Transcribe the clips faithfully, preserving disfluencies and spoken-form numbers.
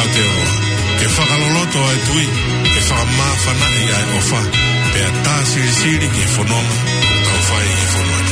Aotearoa, ke fakaloloto ʻa e tui, ke fakamāfanaʻi ʻa e ʻofa, pea tā silisili ki he fononga ʻoku tau fai ʻi he fonua ni.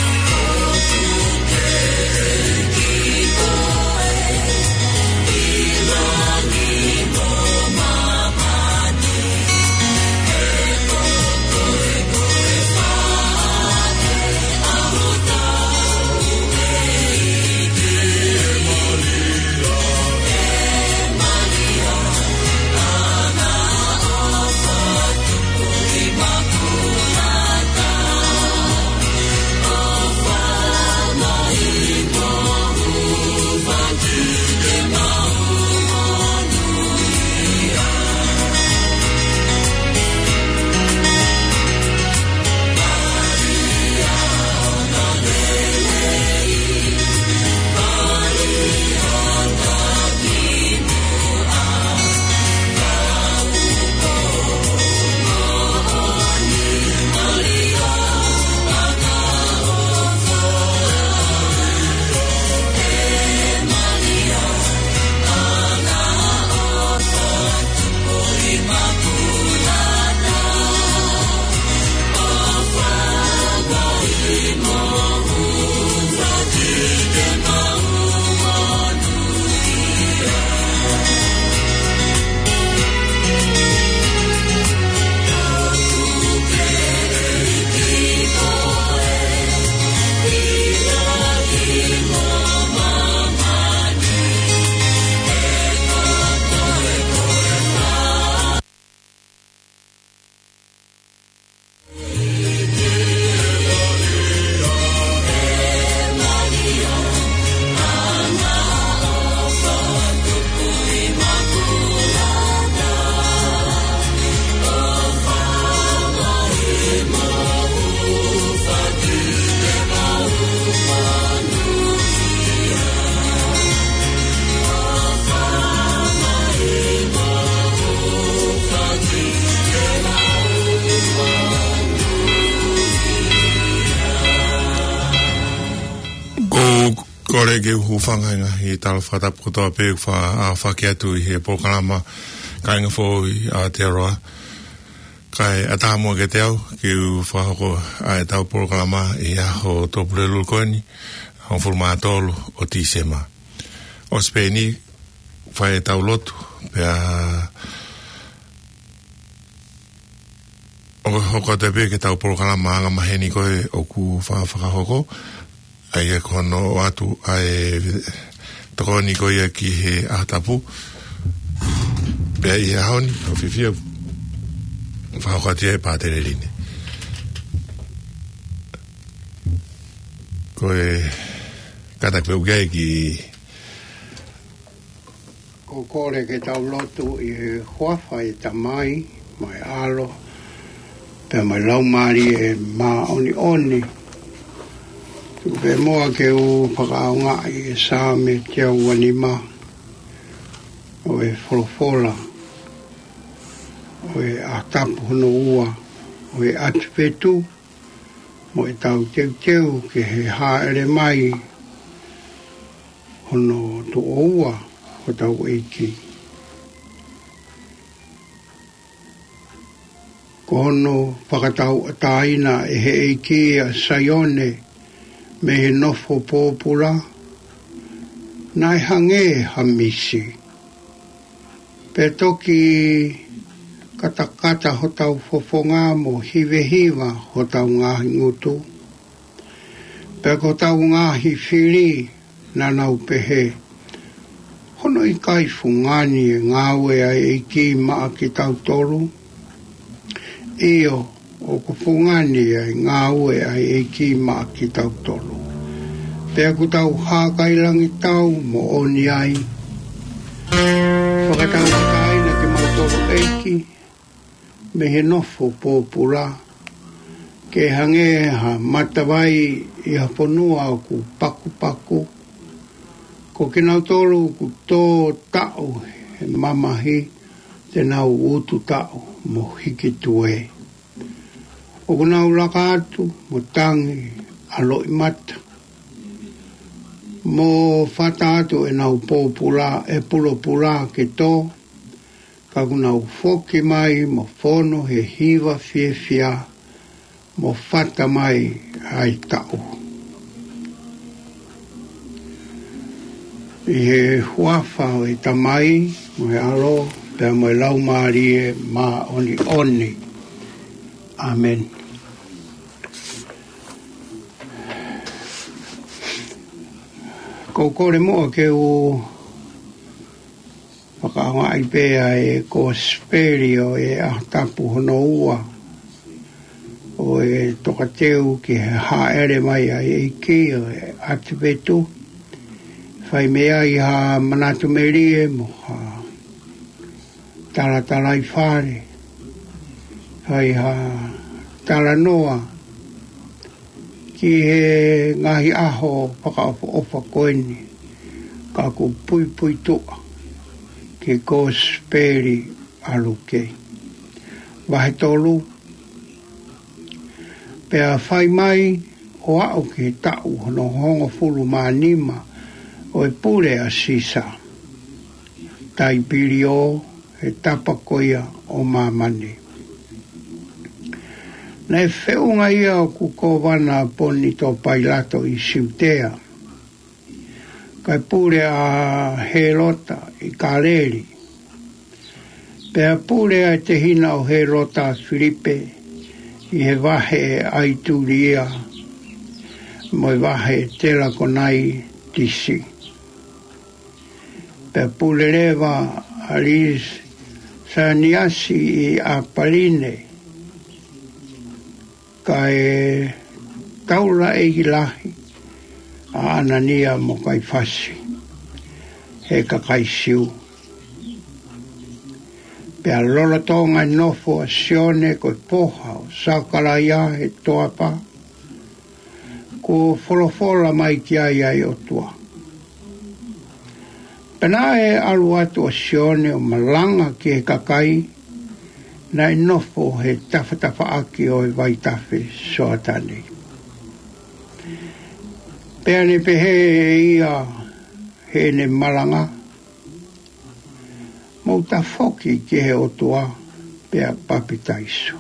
Ko, kole ke u hūfanga he ngaahi tala fakatapu kotoa pē ʻoku fa-, ʻa, fakahoko atu ʻi he polokalama Kāinga Foʻou ʻi Aotearoa. Kae ʻatā muʻa kiate au ke u fakahoko ʻa ʻetau polokalama ʻi he ʻaho Tupulelulu ko eni, hongofulu mā tolu ʻo Tīsema. ʻOsi pē eni, fai ʻetau lotu, pea ʻo hoko atu pē ki heʻetau polokalama anga maheni ko ē ʻoku fa-, fakahoko, ʻa ia ko hono ʻoatu ʻa e tokoni ko ia ki he ʻaho tapu. Pea ʻi he ʻaho ni, ʻoku fiefia fakahoko atu ia ʻe Pātele Line. Ko e kātaki pē ʻoku ʻi ai ki Ko e kole ke tau lotu ʻi he huafa ʻo e Tamai, mo e ʻAlo, pea mo e Laumālie Māʻoniʻoni. Tuku pē muʻa ke u fakaʻaongaʻi e Saame teau uanima, ʻo e folofola ʻo e ʻaho tapu hono ua ʻo e ʻAtuvetu, mo ʻetau teuteu ki he hāʻele mai hono tuʻo ua hotau ʻEiki. Ko hono fakatauʻatāina ʻe he ʻEiki ʻa Saione mei he nofo pōpula, naʻe hangē ha misi. Pea toki katakata hotau fofonga mo hivehiva hotau ngaahi ngutu. Pea ko hotau ngaahi fili naʻa nau pehē, hono ʻikai fungani e ngāue ʻa e ʻEiki maʻa kitautolu? ʻIo, ʻoku fungani ʻa e ngāue ʻa e ʻEiki maʻa kitautolu. Pea ʻoku tau hākailangitau moʻoni ai. Fakatauʻatāina kimautolu ʻEiki, mei he nofo pōpula, ke hangē ha matavai ʻi ha fonua ʻoku pakupaku. Ko kinautolu ʻoku tō taʻu he mamahi, te nau utu taʻu mo hiki tuē. ʻOku nau laka atu mo tangi ʻa loʻimata, mo fata atu ʻenau pōpula, ʻe pulopula ke tō, Ka kuo nau foki mai mo fonu he hiva fiefia, mo fata mai ʻa e taʻu. ʻI he huafa ʻo e Tamai, mo e ʻAlo, pea mo e Laumālie Māʻoniʻoni. ʻĀmeni. Ko e kole muʻa ke u fakaʻaongaʻi pē ʻa e kosipeli ʻo e ʻaho tapu hono ua ʻo e tokateu ki he hāʻele mai ʻa e ʻEiki ʻo e ʻAtivetu. Fai mei ai ha manatu melie mo ha talatalaifale, fai ha talanoa ki he ngaahi ʻaho fakaʻofoʻofa ko eni, ka ʻoku puipuituʻa ki he kosipeli ʻa Luke. Vahe tolu, pea fai mai ʻo aʻu ki he taʻu hono hongofulu mā nima ʻo e pule ʻa Sisa Taipilio he tapa ko ia ʻo māmani. Naʻe feʻunga ia ʻoku kōvana ʻa Ponitō Pailato ʻi Siutea, kae pule ʻa Hēlota ʻi Kāleli. Pea pule ʻa e tehina ʻo Hēlota, ʻa Filipe, ʻi he vahe ʻa ʻItulia mo e vahe ʻa Telakonaitisi. Pea pule leva ʻa Lisaniasi ʻi ʻApaline, kae taulaʻeiki lahi ʻa ʻAnania mo Kaifasi he kakai Siu. Pea lolotonga e nofo ʻa Sione ko e foha ʻo Sakalaia he toafa, kuo folofola mai ki ai ʻa e ʻOtua. Pea naʻe ʻalu atu ʻa Sione ʻo malanga ki he kakai naʻe nofo he tafatafaʻaki ʻo e vaitafe Soatane. Pea ne pehē ʻe ia heʻene malanga, Mou tafoki ki he ʻOtua pea papitaiso,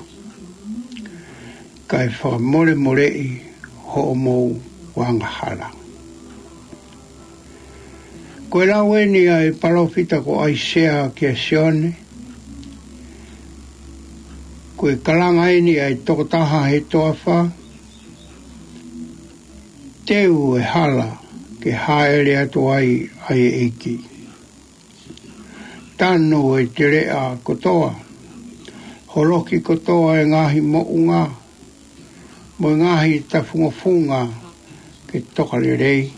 kae fakamolemoleʻi hoʻomou angahala. Ko e lau eni ʻa e palōfita ko ʻAisea kia Sione. Ko e kalanga eni ʻa e tokotaha he toafa, teu e hala ke hāʻele atu ai ʻa e ʻEiki. Tanu e teleʻa kotoa, holoki kotoa e ngaahi moʻunga mo e ngaahi tafungofunga ke toka lelei.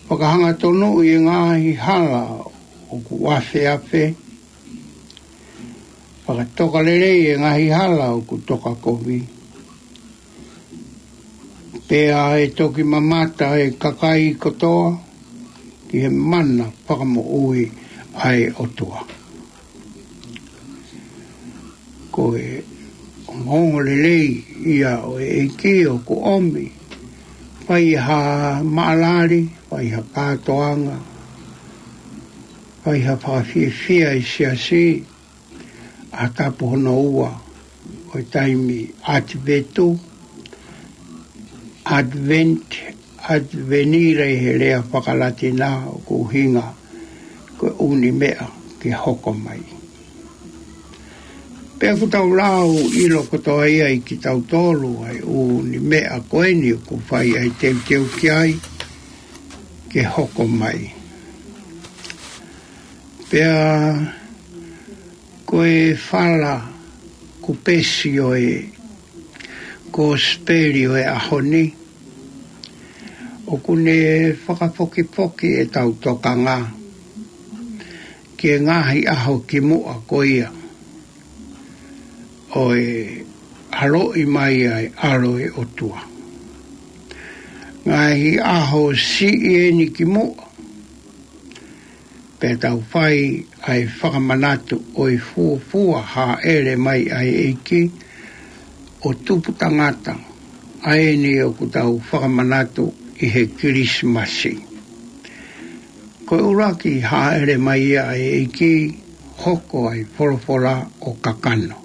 Fakahangatonu e ngaahi hala ʻoku afeafe, fakatoka lelei e ngaahi hala ʻoku toka kovi. Pea ʻe toki mamata e kakai kotoa ki he mana fakamoʻui ʻa e ʻOtua. Ko e ongoongolelei ia ʻo e ʻEiki ʻoku ʻomi, fai ha maʻalali, fai ha kātoanga, fai ha fakafiefia ʻi he siasi, ʻaho tapu hono ua ʻo e taimi ʻAtivetu, Advent, ʻAtivenira ʻi he lea faka-Latina, ʻoku ʻuhinga ko e ʻū niʻihi meʻa ke hoko mai. Pea ʻoku tau lau ʻilo kotoa ia ʻia kitautolu ʻa e ʻū niʻihi meʻa ko eni ʻoku fai ʻa e teuteu ki ai ke hoko mai. Pea ko e fala kupesi ʻo e kosipeli ʻo e ʻaho ni, ʻoku ne fakafokifoki ʻetau tokanga ki he ngaahi ʻaho kimuʻa ko ia ʻo e ʻaloʻi mai ʻa e ʻAlo ʻo e ʻOtua. Ngaahi ʻaho siʻi eni kimuʻa, pea tau fai ʻa e fakamanatu ʻo e fuofua hāʻele mai ʻa e ʻEiki, ʻo tupu tangata, ʻa eni ʻoku tau fakamanatu ʻi he Kilisimasi. Ko e ʻuluaki hāʻele mai ia ʻa e ʻEiki, hoko ai folofola ʻo kakano.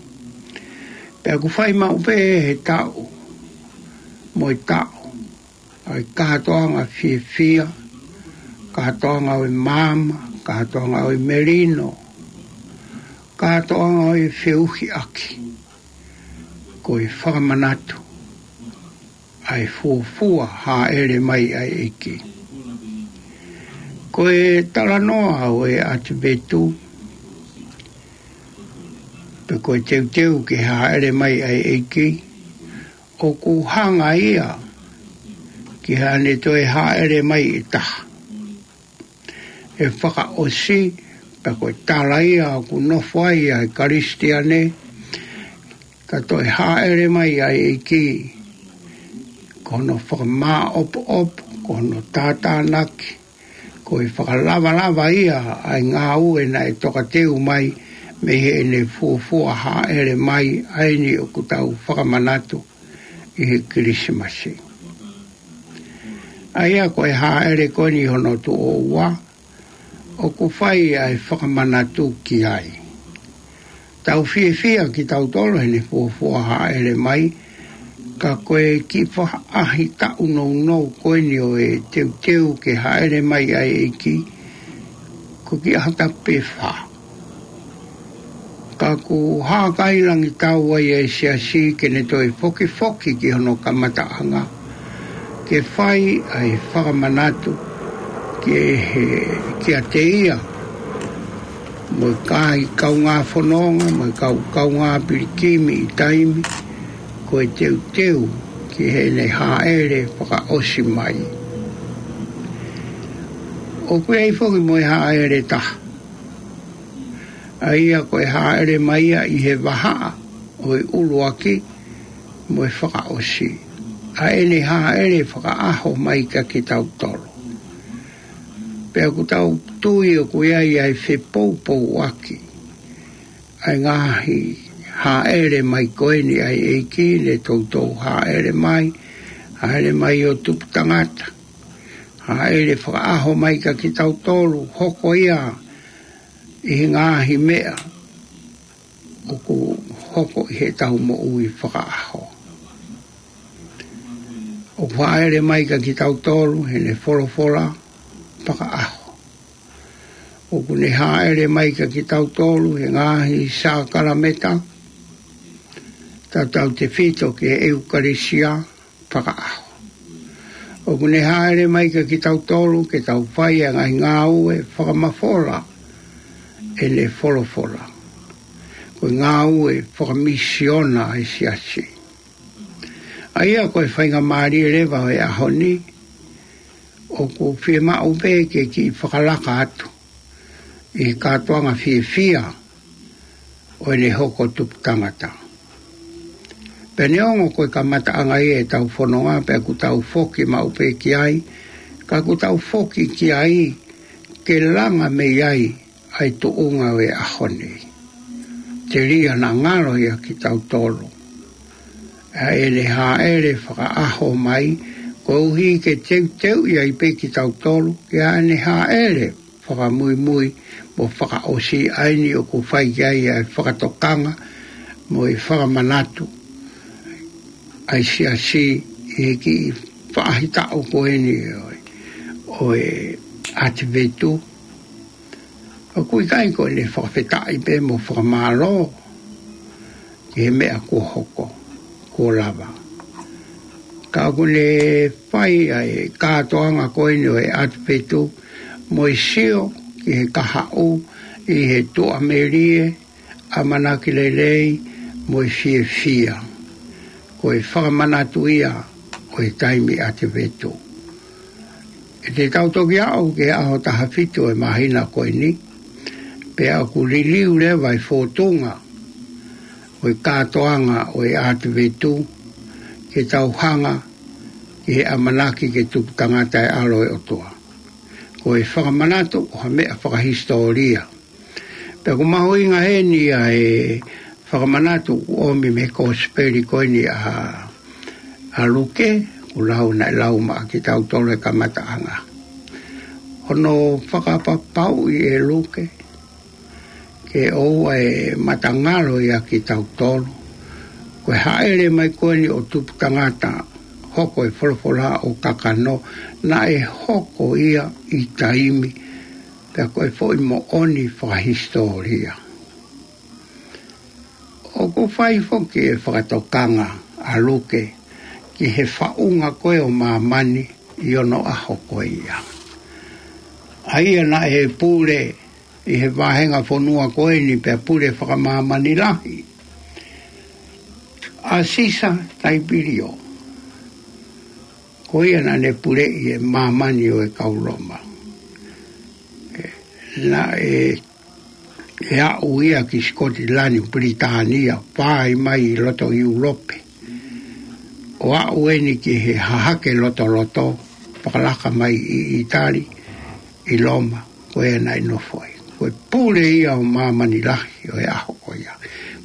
Pea ʻoku fai maʻu pē he taʻu mo e taʻu ʻa e kātoanga fiefia, kātoanga ʻo e maama, kātoanga ʻo e melino, kātoanga ʻo e feʻuhiʻaki, ko e fakamanatu ʻa e fuofua hāʻele mai ʻa e ʻEiki. Ko e talanoa ʻo e ʻAtivetu, pe ko e teuteu ke hāʻele mai ʻa e ʻEiki, ʻoku hanga ia ki haʻane toe hāʻele mai ʻe taha. ʻE fakaʻosi, pea ko e tala ia ʻoku nofo ai ʻa e Kalisitiane, ka toe hāʻele mai ʻa e ʻEiki, ko hono fakamāʻopoʻopo, ko hono tātānaki, ko e fakalavalava ia ʻa e ngāue naʻe tokateu mai mei heʻene fuofua hāʻele mai, ʻa eni ʻoku tau fakamanatu ʻi he Kilisimasi. ʻA ia ko e hāʻele ko eni hono tuʻo ua, ʻoku fai ʻa e fakamanatu ki ai. Tau fiefia kitautolu heʻene fuofua hāʻele mai, ka ko e kiʻi faʻahitaʻu nounou ko eni ʻo e teuteu ke hāʻele mai ʻa e ʻEiki, ko e kiʻi ʻaho tapu pē fā. Ka ʻoku hākailangitau ai ʻa e siasi ke ne toe fokifoki ki hono kamataʻanga, ke fai ʻa e fakamanatu ki he, kiate ia, mo e kau kaungā fononga, mo e kau kaungā pilikimi ʻi taimi, ko e teuteu ki heʻene hāʻele fakaʻosi mai. ʻOku ʻi ai foki mo e hāʻele taha, ʻa ia ko e hāʻele mai ia ʻi he vahaʻa ʻo e ʻuluaki mo e fakaʻosi, ʻa ʻene hāʻele fakaʻaho mai kia kitautolu. Pea ʻoku tau tui ʻoku ʻi ai ʻa e fepoupouaki ʻa e ngaahi hāʻele mai ko eni ʻa e ʻEiki, ne toutou hāʻele mai, hāʻele mai ʻo tupu tangata, hāʻele fakaʻaho mai kia kitautolu, hoko ia ʻi he ngaahi meʻa ʻoku hoko ʻi heʻetau moʻui fakaʻaho. ʻOku hāʻele mai kia kitautolu heʻene folofola fakaʻaho. ʻOku ne hāʻele mai kia kitautolu he ngaahi sākalameta, tautautefito ki he ʻEukalisia fakaʻaho. ʻOku ne hāʻele mai kia kitautolu ke tau fai ʻa e ngaahi ngāue fakamafola ʻene folofola. Ko e ngāue fakamisiona ʻa e siasi. ʻA ia ko e faingamālie leva ʻo e ʻaho ni, ʻoku fiemaʻu pē ke kiʻi fakalaka atu ʻi he kātoanga fiefia ʻo ʻene hoko tupu tangata. Pea neongo ko e kamataʻanga ia ʻetau fononga, pea ʻoku tau foki maʻu pē ki ai, ka ʻoku tau foki ki ai ke langa mei ai ʻa e tuʻunga ʻo e ʻaho ni. Telia naʻa ngalo ia kia kitautolu ʻa ʻene hāʻele fakaʻaho mai, koeʻuhi ke teuteuʻi ai pē kitautolu ki haʻane hāʻele fakamuimui mo fakaʻosi, ʻa eni ʻoku fai ki ai ʻa e fakatokanga mo e fakamanatu ʻa e siasi ʻi he kiʻi faʻahitaʻu ko eni ʻo e, ʻo e ʻAtivetu. ʻOku ʻikai ko ʻene fakafetaʻi pē mo fakamālō ki he meʻa kuo hoko, kuo lava. Ka ʻoku ne fai ʻa e kātoanga ko eni ʻo e ʻAtivetu mo e sio ki he kahaʻu ʻi he tuʻamelie, ʻamanaki lelei mo e fiefia. Ko e fakamanatu ia ʻo e taimi ʻAtivetu. ʻE te tau toki aʻu ki he ʻaho taha fitu ʻo e māhina ko eni, pea ʻoku liliu leva e fōtunga ʻo e kātoanga ʻo e ʻAtivetu, ke tau hanga ki he ʻamanaki ke tupu tangata e ʻAlo ʻo e ʻOtua. Ko e fakamanatu ʻo ha meʻa fakahisitōlia. Pea ʻoku mahuʻinga heni ʻa e fakamanatu ʻoku ʻomi mei he kosipeli ko eni ʻa, ʻa Luke, ʻoku lau naʻe lau maʻa kitautolu he kamataʻanga. Hono fakapapauʻi ʻe Luke ke ʻoua ʻe matangalo ia kitautolu. Ko e hāʻele mai ko eni ʻo Tuputangata, hoko e folofola ʻo kakano, naʻe hoko ia ʻi taimi, pea ko e foʻi moʻoni fakahisitōlia. ʻOku fai foki e fakatokanga ʻa Luke ki he faʻunga ko ē ʻo māmani ʻi onoʻaho ko ia. ʻA ia naʻe pule ʻi he vāhenga fonua ko eni pea pule fakamāmani lahi ʻa Sisa Taipilio. Ko ia naʻa ne puleʻi e māmani ʻo e kau Loma. Naʻe ʻe aʻu ia ki Sikotilani, Pilitānia, fai mai ʻi loto ʻIulope. ʻO aʻu eni ki he hahake lotoloto, fakalaka mai ʻi ʻItali, ʻi Loma, ko ia naʻe nofo ai. Ko e pule ia ʻo māmani lahi ʻo e ʻaho ko ia.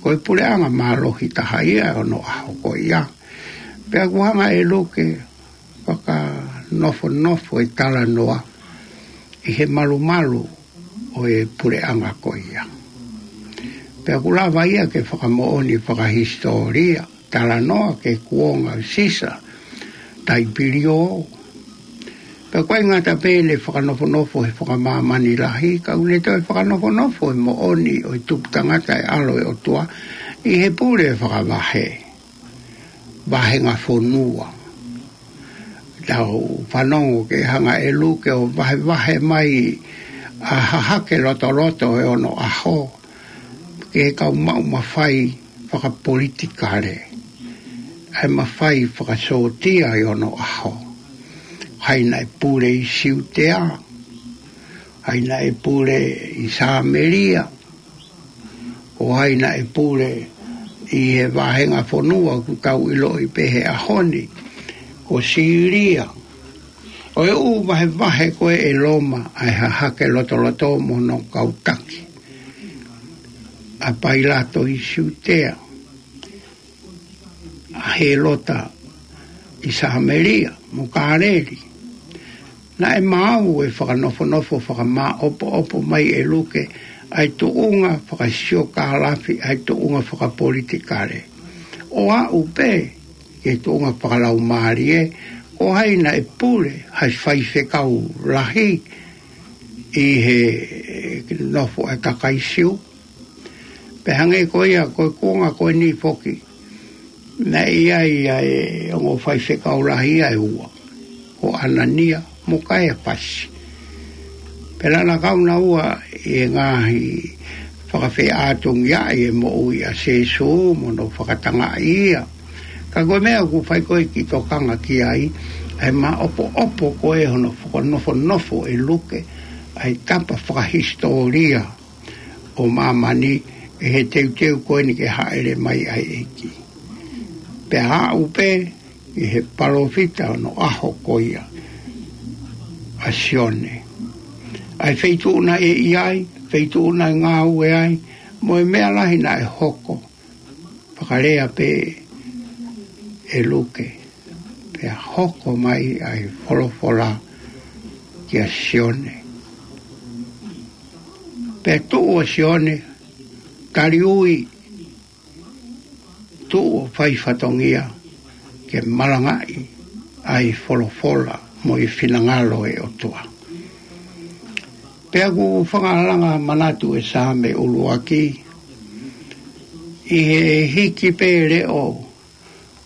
Ko e puleʻanga mālohi taha ia ʻo onoʻaho ko ia. Pea ʻoku hanga ʻe Luke fakanofonofo e talanoa ʻi he malumalu ʻo e puleʻanga ko ia. Pea ʻoku lava ia ke fakamoʻoni fakahisitōlia, talanoa ki he kuonga ʻo Sisa Taipilio. Pea ʻoku ʻikai ngata pē ʻene fakanofonofo he fakamāmani lahi, ka ʻoku ne toe fakanofonofo e moʻoni ʻo e Tuputangata e ʻAlo ʻo e ʻOtua ʻi he pule fakavahe, vāhenga fonua. Tau fanongo ki he hanga ʻe Luke ʻo vahevahe mai ʻa e hahake lotoloto ʻo onoʻaho ki he kau maʻu mafai fakapolitikale, ʻa e mafai fakasōtia ʻi onoʻaho. Hai naʻe pule ʻi Siutea, hai naʻe pule ʻi Sāmelia, ʻo hai naʻe pule ʻi he vāhenga fonua ʻoku tau ʻiloʻi pē he ʻaho ni ko Sīlia. ʻO e ʻū vahevahe ko ē ʻe Loma ʻa e hahake lotoloto mo hono kau taki, ʻa Pailato ʻi Siutea, ʻa Hēlota ʻi Sāmelia mo Kāleli. Naʻe maau e fakanofonofo fakamāʻopoʻopo mai ʻe Luke ʻa e tuʻunga fakasiokālafi, ʻa e tuʻunga fakapolitikale, ʻo aʻu pē ki he tuʻunga fakalaumālie, ko hai naʻe pule ha faifekau lahi ʻi he nofo ʻa e kakai Siu. Pea hangē ko ia, ko e kuonga ko eni foki, naʻe ʻi ai ʻa e ongo faifekau lahi ia ʻe ua, ko ʻAnania mo Kaiafasi. Pea naʻa nau kau naua ʻi he ngaahi fakafeʻātungiaʻi e moʻui ʻa Sīsū mo hono fakatangaʻi ia. Ka ko e meʻa ʻoku fai ko ē ke tokanga ki ai, ʻa e māʻopoʻopo ko ē hono fakanofonofo ʻe Luke ʻa e tapa fakahisitōlia ʻo māmani ʻi he teuteu ko eni ke hāʻele mai ʻa e ʻEiki. Pea aʻu pē ʻi he palōfita ʻo onoʻaho ko ia, ʻa Sione. ʻA e feituʻu naʻe ʻi ai, feituʻu naʻe ngāue ai, mo e meʻa lahi naʻe hoko, fakalea pē ʻe Luke, pea hoko mai ʻa e folofola kia Sione. Pea tuʻu ʻa Sione, tali ui, tuʻu ʻo fai fatongia ke malangaʻi ʻa e folofola mo e finangalo ʻo e ʻOtua. Pea ʻoku fakalanga manatu e Saame ʻuluaki, ʻi he hiki pē leʻo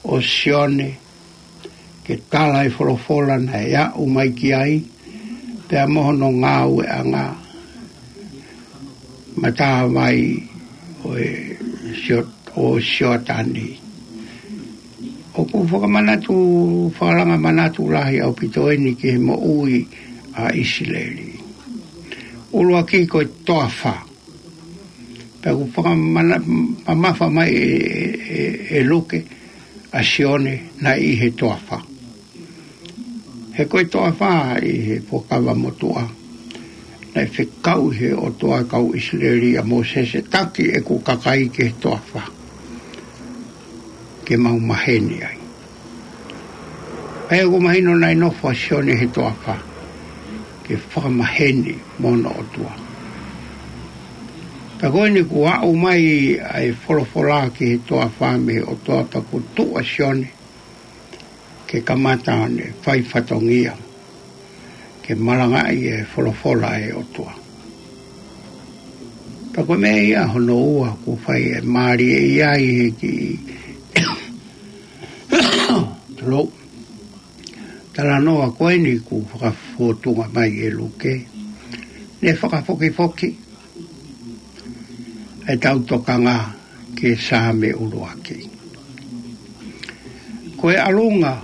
ʻo Sione ke tala e folofola naʻe aʻu mai ki ai, pea mo hono ngāueʻanga, matavai ʻo e Sio-, ʻo Sioatani. ʻOku fakamanatu, fakalanga manatu lahi ʻaupito eni ki he moʻui ʻa ʻIsileli. ʻUluaki ko e toafa. Pea ʻoku fakamana-, mamafa mai ʻe, ʻe, ʻe Luke ʻa Sione naʻe ʻi he toafa. He ko e toafa ʻi he Fuakava Motuʻa, naʻe fekau ʻe he ʻOtua e kau ʻIsileli ʻia Mōsese, taki ʻeku kakai ki he toafa ke mau maheni ai. Pea ʻoku mahino naʻe nofo ʻa Sione he toafa. ke fakamaheni mo hono ʻOtua. Pea ko eni kuo aʻu mai ʻa e folofola ki he toafa mei he ʻOtua, pea kuo tuʻu ʻa Sione ke kamata ʻo ne fai fatongia ke malangaʻi e folofola ʻa e ʻOtua. Pea ko e meʻa ia hono ua kuo fai e mālie ia ʻi he kiʻi talanoa ko eni kuo fakafōtunga mai ʻe Luke, ne fakafokifoki ʻetau tokanga ki he Saame ʻuluaki. Ko e ʻalunga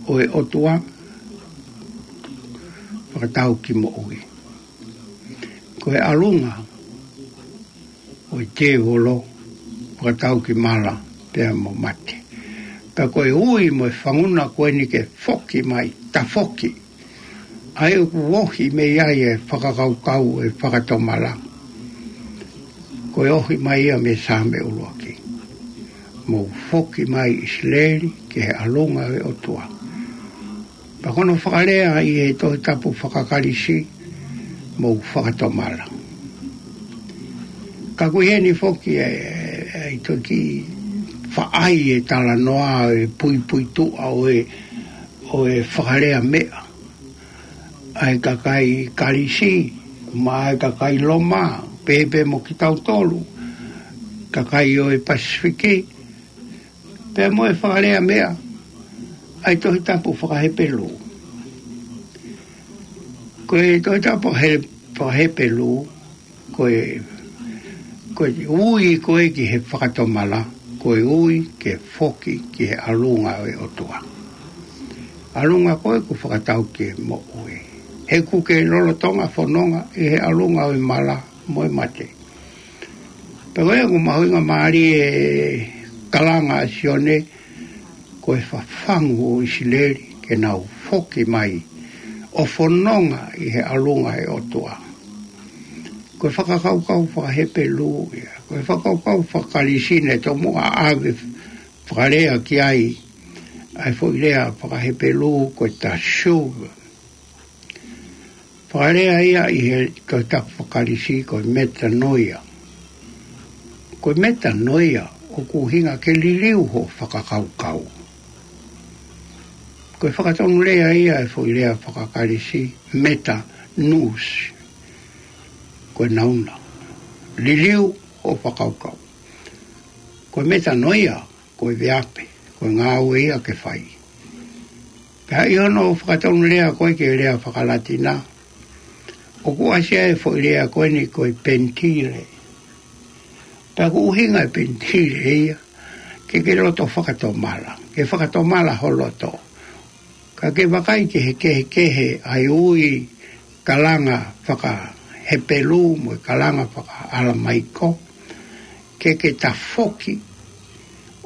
ʻo e ʻOtua fakatau ki moʻui. Ko e ʻalunga ʻo e tēvolo fakatau ki mala pea mo mate. Ka ko e ui mo e fanguna ko eni ke foki mai, tafoki. ʻA ia ʻoku ohi mei ai e fakakaukau ʻo e fakatomala. Ko e ohi mai ia mei he Saame ʻuluaki. Mou foki mai ʻIsileli ki he ʻalunga ʻo e ʻOtua. Pea ko hono fakalea ʻi he Tohi Tapu faka-Kalisi, mou fakatomala. Ka ʻoku ʻi heni foki e, e, e toki faʻai e talanoa ʻo e puipuituʻa ʻo e, ʻo e fakalea meʻa ʻa e kakai Kalisi, mo e kakai Loma, pehē pē mo kitautolu, kakai ʻo e Pasifiki, pea mo e fakalea meʻa ʻa e Tohi Tapu faka-Hepelū. Ko e Tohi Tapu he-, faka-Hepelū, ko e, ko e ui ko ē ki he fakatomala, ko e ui ke foki ki he ʻalunga ʻo e ʻOtua. ʻAlunga ko ē kuo fakatau ki he moʻui. He ʻoku ke lolotonga fononga ʻi he ʻalunga ʻo e mala mo e mate. Pea ko ia ʻoku mahuʻinga mālie e kalanga ʻa Sione, ko e fafangu ʻo ʻIsileli ke nau foki mai ʻo fononga ʻi he ʻalunga ʻo e ʻOtua. Ko e fakakaukau faka-Hepelū ia, ko e fakakaukau faka-Kalisi naʻe tomuʻa ʻave fakalea ki ai ʻa e foʻi lea faka-Hepelū ko e tashuv. Fakalea ia ʻi he Tohi Tapu faka-Kalisi ko e metanoia. Ko e metanoia ʻoku ʻuhinga ke liliu hoʻo fakakaukau. Ko e fakatonulea ia e foʻi lea faka-Kalisi meta nous. Ko e nauna. Liliu hoʻo fakakaukau. Ko e metanoia, ko e veape, ko e ngāue ia ke fai. Pea ʻi hono fakatonulea ko ē ki he lea faka-Latina, ʻoku ʻasi ai e foʻi lea ko eni ko e pentile. Pea ʻoku ʻuhinga e pentile ia ke ke loto fakatomala, ke fakatomala ho loto. Ka ke vakai ki he kehekehe ʻa e ui kalanga faka-Hepelū mo e kalanga faka-ʻAlamaiko, ke ke tafoki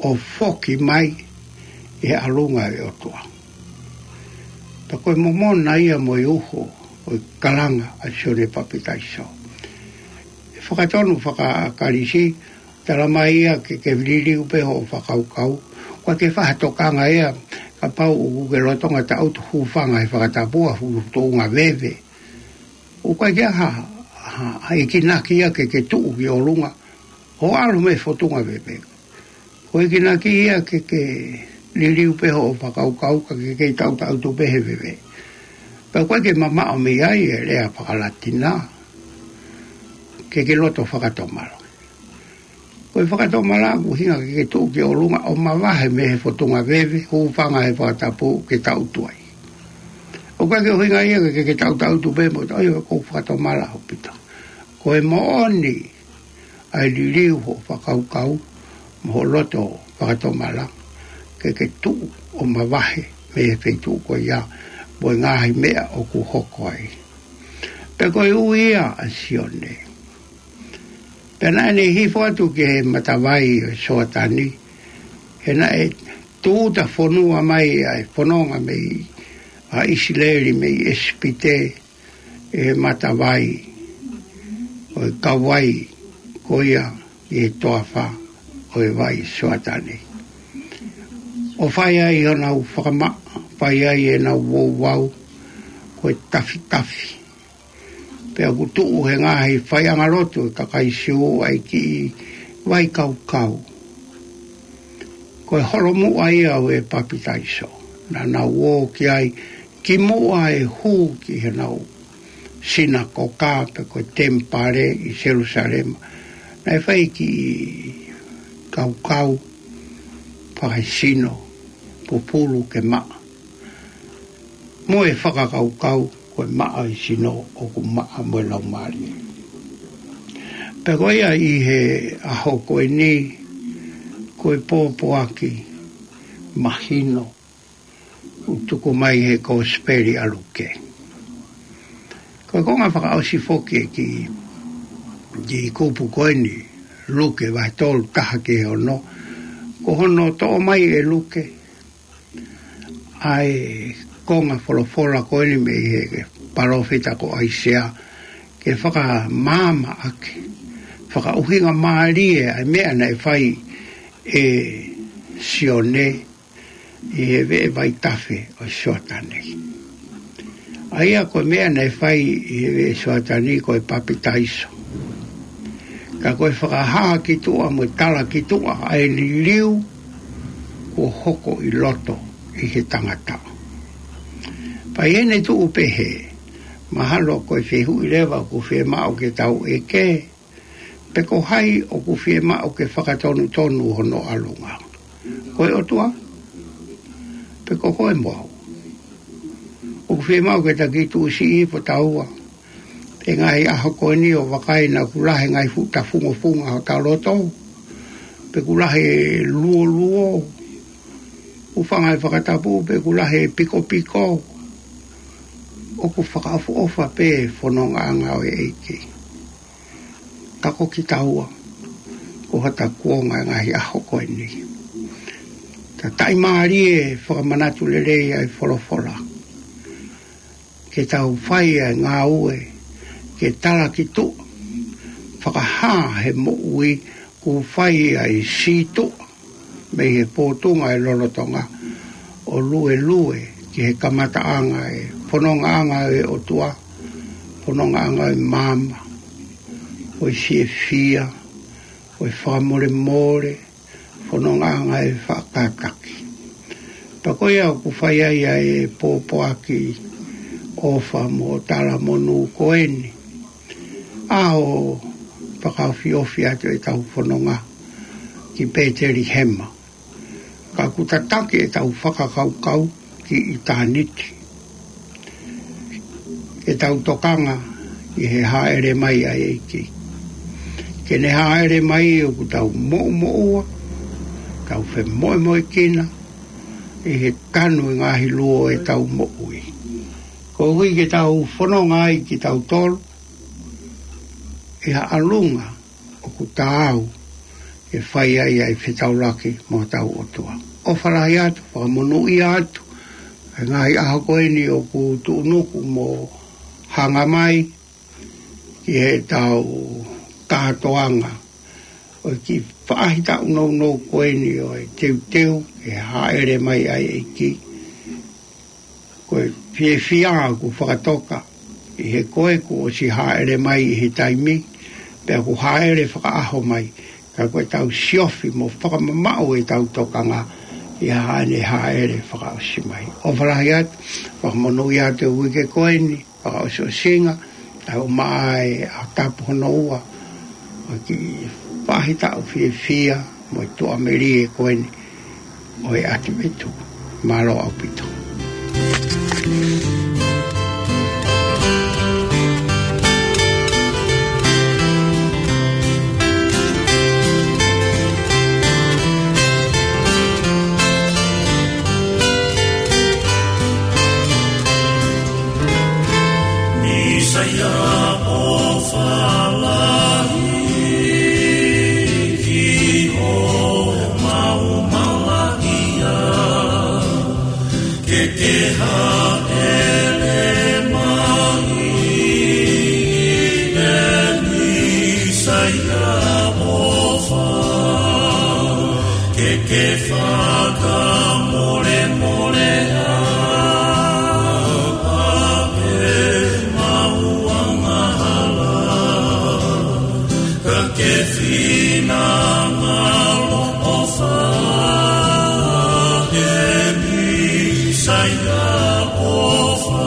ʻo foki mai ʻi he ʻalunga ʻo e ʻOtua. Pea ko e momona ia mo e uho ʻo e kalanga ʻa Sione Papitaiso. ʻI he fakatonu faka-Kalisi, talamai ia ke ke liliu pē hoʻo fakakaukau, ʻoku ʻikai ke fai ha tokanga ia kapau ʻoku ke lolotonga tangutu hūfanga he fakatapu ʻa e fotunga veve. ʻOku ʻikai ke ʻi ai ha, ha, ha ikinaki ia ke ke tuʻu ki ʻolunga ʻo ʻalu mei he fotunga veve. Ko e ikinaki ia ke ke liliu pē hoʻo fakakaukau ka ke kei tautautefito pē he veve. Pea ʻoku ʻikai ke mamaʻo mei ai e lea faka-Latina ke ke loto fakatomala. Ko e fakatomala ʻoku ʻuhinga ke ke tuʻu ki ʻolunga ʻo mavahe mei he fotunga veve, hūfanga he fakatapu ke tangutu ai. ʻOku ʻikai ke ʻuhinga ia ke ke tautautefito pē mo ʻai ʻoku ou fakatomala ʻaupito. Ko e moʻoni ʻa e liliu hoʻo fakakaukau mo hoʻo loto fakatomala ke ke tuʻu ʻo mavahe mei he feituʻu ko ia mo e ngaahi meʻa ʻoku hoko ai. Pea ko e ui ia ʻa Sione. Pea naʻa ne hifo atu ki he matavai ʻo Soatani, he naʻe tūʻuta fonua mai ʻa e fononga mei ʻa ʻIsileli mei ʻIsipite, ʻi he matavai ʻo e kauvai ko ia ʻi he toafa ʻo e vai Soatani. ʻO fai ai honau fakamaʻa, fai ai ʻenau ouau, ko e tafitafi. Pea ʻoku tuʻu he ngaahi faiʻanga lotu ʻo e kakai Siu ʻa e kiʻi vaikaukau. Ko e holomuʻa ia ʻo e papitaiso. Naʻa nau ō ki ai kimuʻa e hū ki heʻenau sinakoka pe ko e temipale ʻi Selusalema. Naʻe fai e kiʻi kaukau fakaesino, pupulu ke maʻa. Mo e fakakaukau ko e maʻa e sino ʻoku maʻa mo e laumālie. Pea ko ia ʻi he ʻaho ko eni, ko e pōpoaki mahino ʻoku tuku mai he Kosipeli ʻa Luke. Ko e konga fakaʻosi foki e kiʻi, kiʻi kupu ko eni, Luke vahe tolu taha ki he ono, ko hono toʻo mai ʻe Luke ʻa e konga folofola ko eni mei he palōfita ko ʻAisea ke fakamaama ʻaki, fakaʻuhinga mālie ʻa e meʻa naʻe fai ʻe Sione ʻi he veʻe vaitafe ʻo Soatani. ʻA ia ko e meʻa naʻe fai ʻi he veʻe Soatani ko e papitaiso. Ka ko e fakahā ki tuʻa mo e tala ki tuʻa ʻa e liliu kuo hoko ʻi loto ʻi he tangata. Pea ʻi heʻene tuʻu pehē, mahalo ko e fehuʻi leva ʻoku fiemaʻu ke tau ʻeke, pe ko hai ʻoku fiemaʻu ke fakatonutonu hono ʻalunga. Ko e ʻOtua? Pe ko koe mo au? ʻOku fiemaʻu ke ta kiʻi tuʻusiʻi hifo taua he ngaahi ʻaho ko eni ʻo vakai naʻa ku lahi ngaahi fuʻu tafungofunga hota loto, pe ku lahi luoluo, ʻoku fanga e fakatapu, pe ku lahi pikopiko. ʻOku fakaʻofoʻofa pē fonongaʻanga ʻo e ʻEiki. Ka ko kitaua, ko hota kuonga e ngaahi ʻaho ko eni. Ta taʻimālie fakamanatu lelei ʻa e folofola. Ke tau fai ʻa e ngāue, ke tala ki tuʻa, fakahā he moʻui kuo fai ʻa e sītuʻa mei he pōtunga e lolotonga ʻo luelue ki he kamataʻanga e fonongaʻanga e ʻOtua, fonongaʻanga e maama, ʻo e fiefia, ʻo e fakamolemole, fonongaʻanga e fakakātaki. Pea ko ia ʻoku fai ai ʻa e pōpoaki ʻofa mo talamonū ko eni. ʻAho fakaofiofi atu ʻetau fononga ki Petelihema. Ka ʻoku tataki ʻetau fakakaukau ki ʻitāniti. ʻEtau tokanga ʻi he hāʻele mai ʻa e ʻEiki. Ke ne hāʻele mai ʻoku tau moʻumoʻua, tau femoʻumoʻuekina, ʻi he tanu e ngaahi luo ʻetau moʻui. Koeʻuhi ke tau fononga ai kitautolu, ʻi ha ʻalunga ʻoku taau ke fai ai ʻa e fetaulaki mo hotau ʻOtua. ʻOfa lahi atu, fakamonūʻia atu, ʻa e ngaahi ʻaho ko eni ʻoku tuʻunuku mo hanga mai ki heʻetau kātoanga ʻo e kiʻi faʻahitaʻu nounou ko eni ʻo e teuteu ke hāʻele mai ʻa e ʻEiki. Ko e fiefia ʻoku fakatoka ʻi he ko ē kuo ʻosi hāʻele mai ʻi he taimi, pea ʻoku hāʻele fakaʻaho mai, ka ko ʻetau siofi mo fakamamaʻu ʻetau tokanga ʻi haʻane hāʻele fakaʻosi mai. ʻOfa lahi atu, fakamonūʻia atu e uike ko eni, fakaʻosiʻosinga, ʻa e ʻumaʻā e ʻaho tapu hono ua, ʻo e kiʻi faʻahitaʻu fiefia mo e tuʻamelie ko eni ʻo e ʻAtivetu. Mālō ʻaupito. Isaia ʻofa lahi ki hoʻomau malaʻia, ke ke hāʻele mai ʻe Isaia ʻofa, ke ke fakamolemole ʻa e Ke finangalo ʻofa, ʻEpīsaia ʻofa,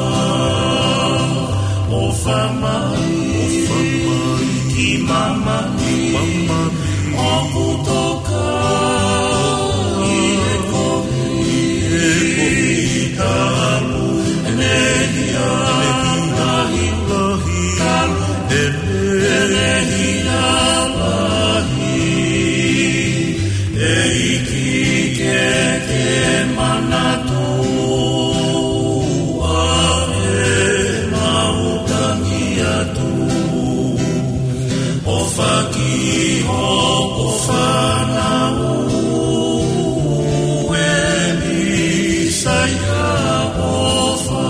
ʻofa mai, ʻofa mai ki māmani, māmani, ʻoku toka ʻi he kovi, ʻi he kovi, talu ʻene hia lahi, lahi, talu ʻene hia lahi. ʻEiki ke ke manatua ʻemau tangi atu. ʻOfa ki hoʻo fānau ʻEpīsaia ʻofa.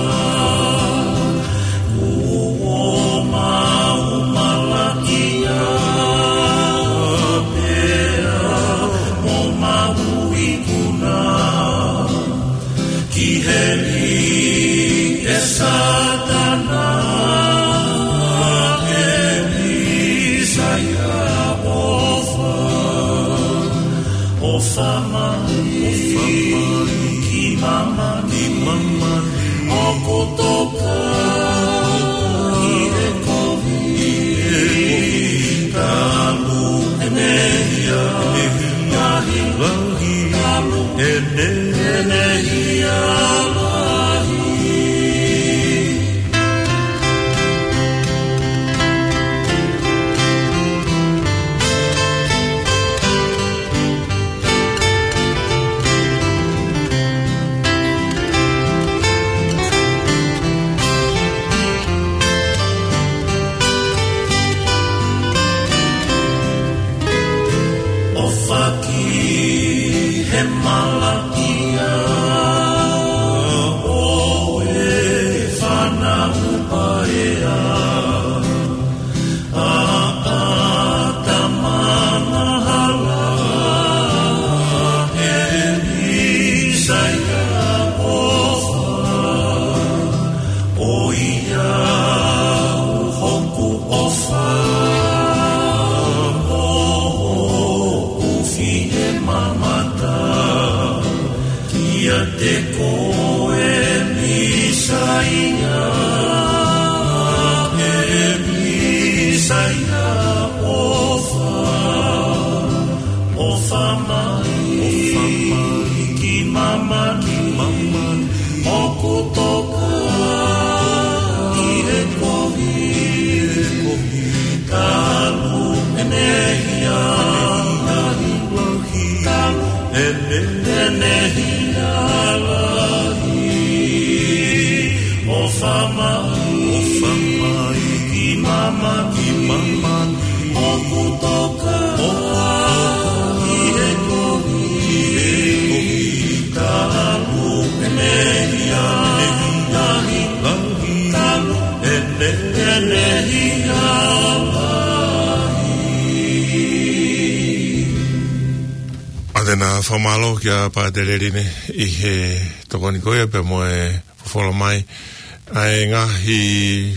Kuo mau malaʻia pea mo mau ikuna ki heli ʻe Sātana, ʻEpīsaia ʻofa. ʻOfa mai, ʻofa mai ki māmani, ki māmani, ʻoku toka ʻi he kovi, ʻi he kovi, talu ʻene hia lahi, lahi, talu ʻene, ʻene hia lahi. ʻOfa ki he malaʻia ʻo e fānau paea. ʻAtama angahala, ʻEpīsaia ʻofa. ʻOiauē hoku ʻofa, ʻo hoku fiemamata. Kiate koe Mīsaia, ʻEpīsaia ʻofa, ʻofa mai, ʻofa mai ki māmani, ki māmani, ʻoku toka ʻi he kovi, ʻi he kovi, talu ʻene hia lahi, lahi, talu ʻene, ʻene hia lahi. ʻOfa mai, ʻofa mai ki māmani, ki māmani, ʻoku toka, ʻoku toka ʻi he kovi, ʻi he kovi, talu ʻene hia lahi, lahi, talu ʻene, ʻene hia lahi. ʻA te na fakamālō kia Pātele Line ʻi he tokoni ko ia pea mo e folofola mai ʻa e ngaahi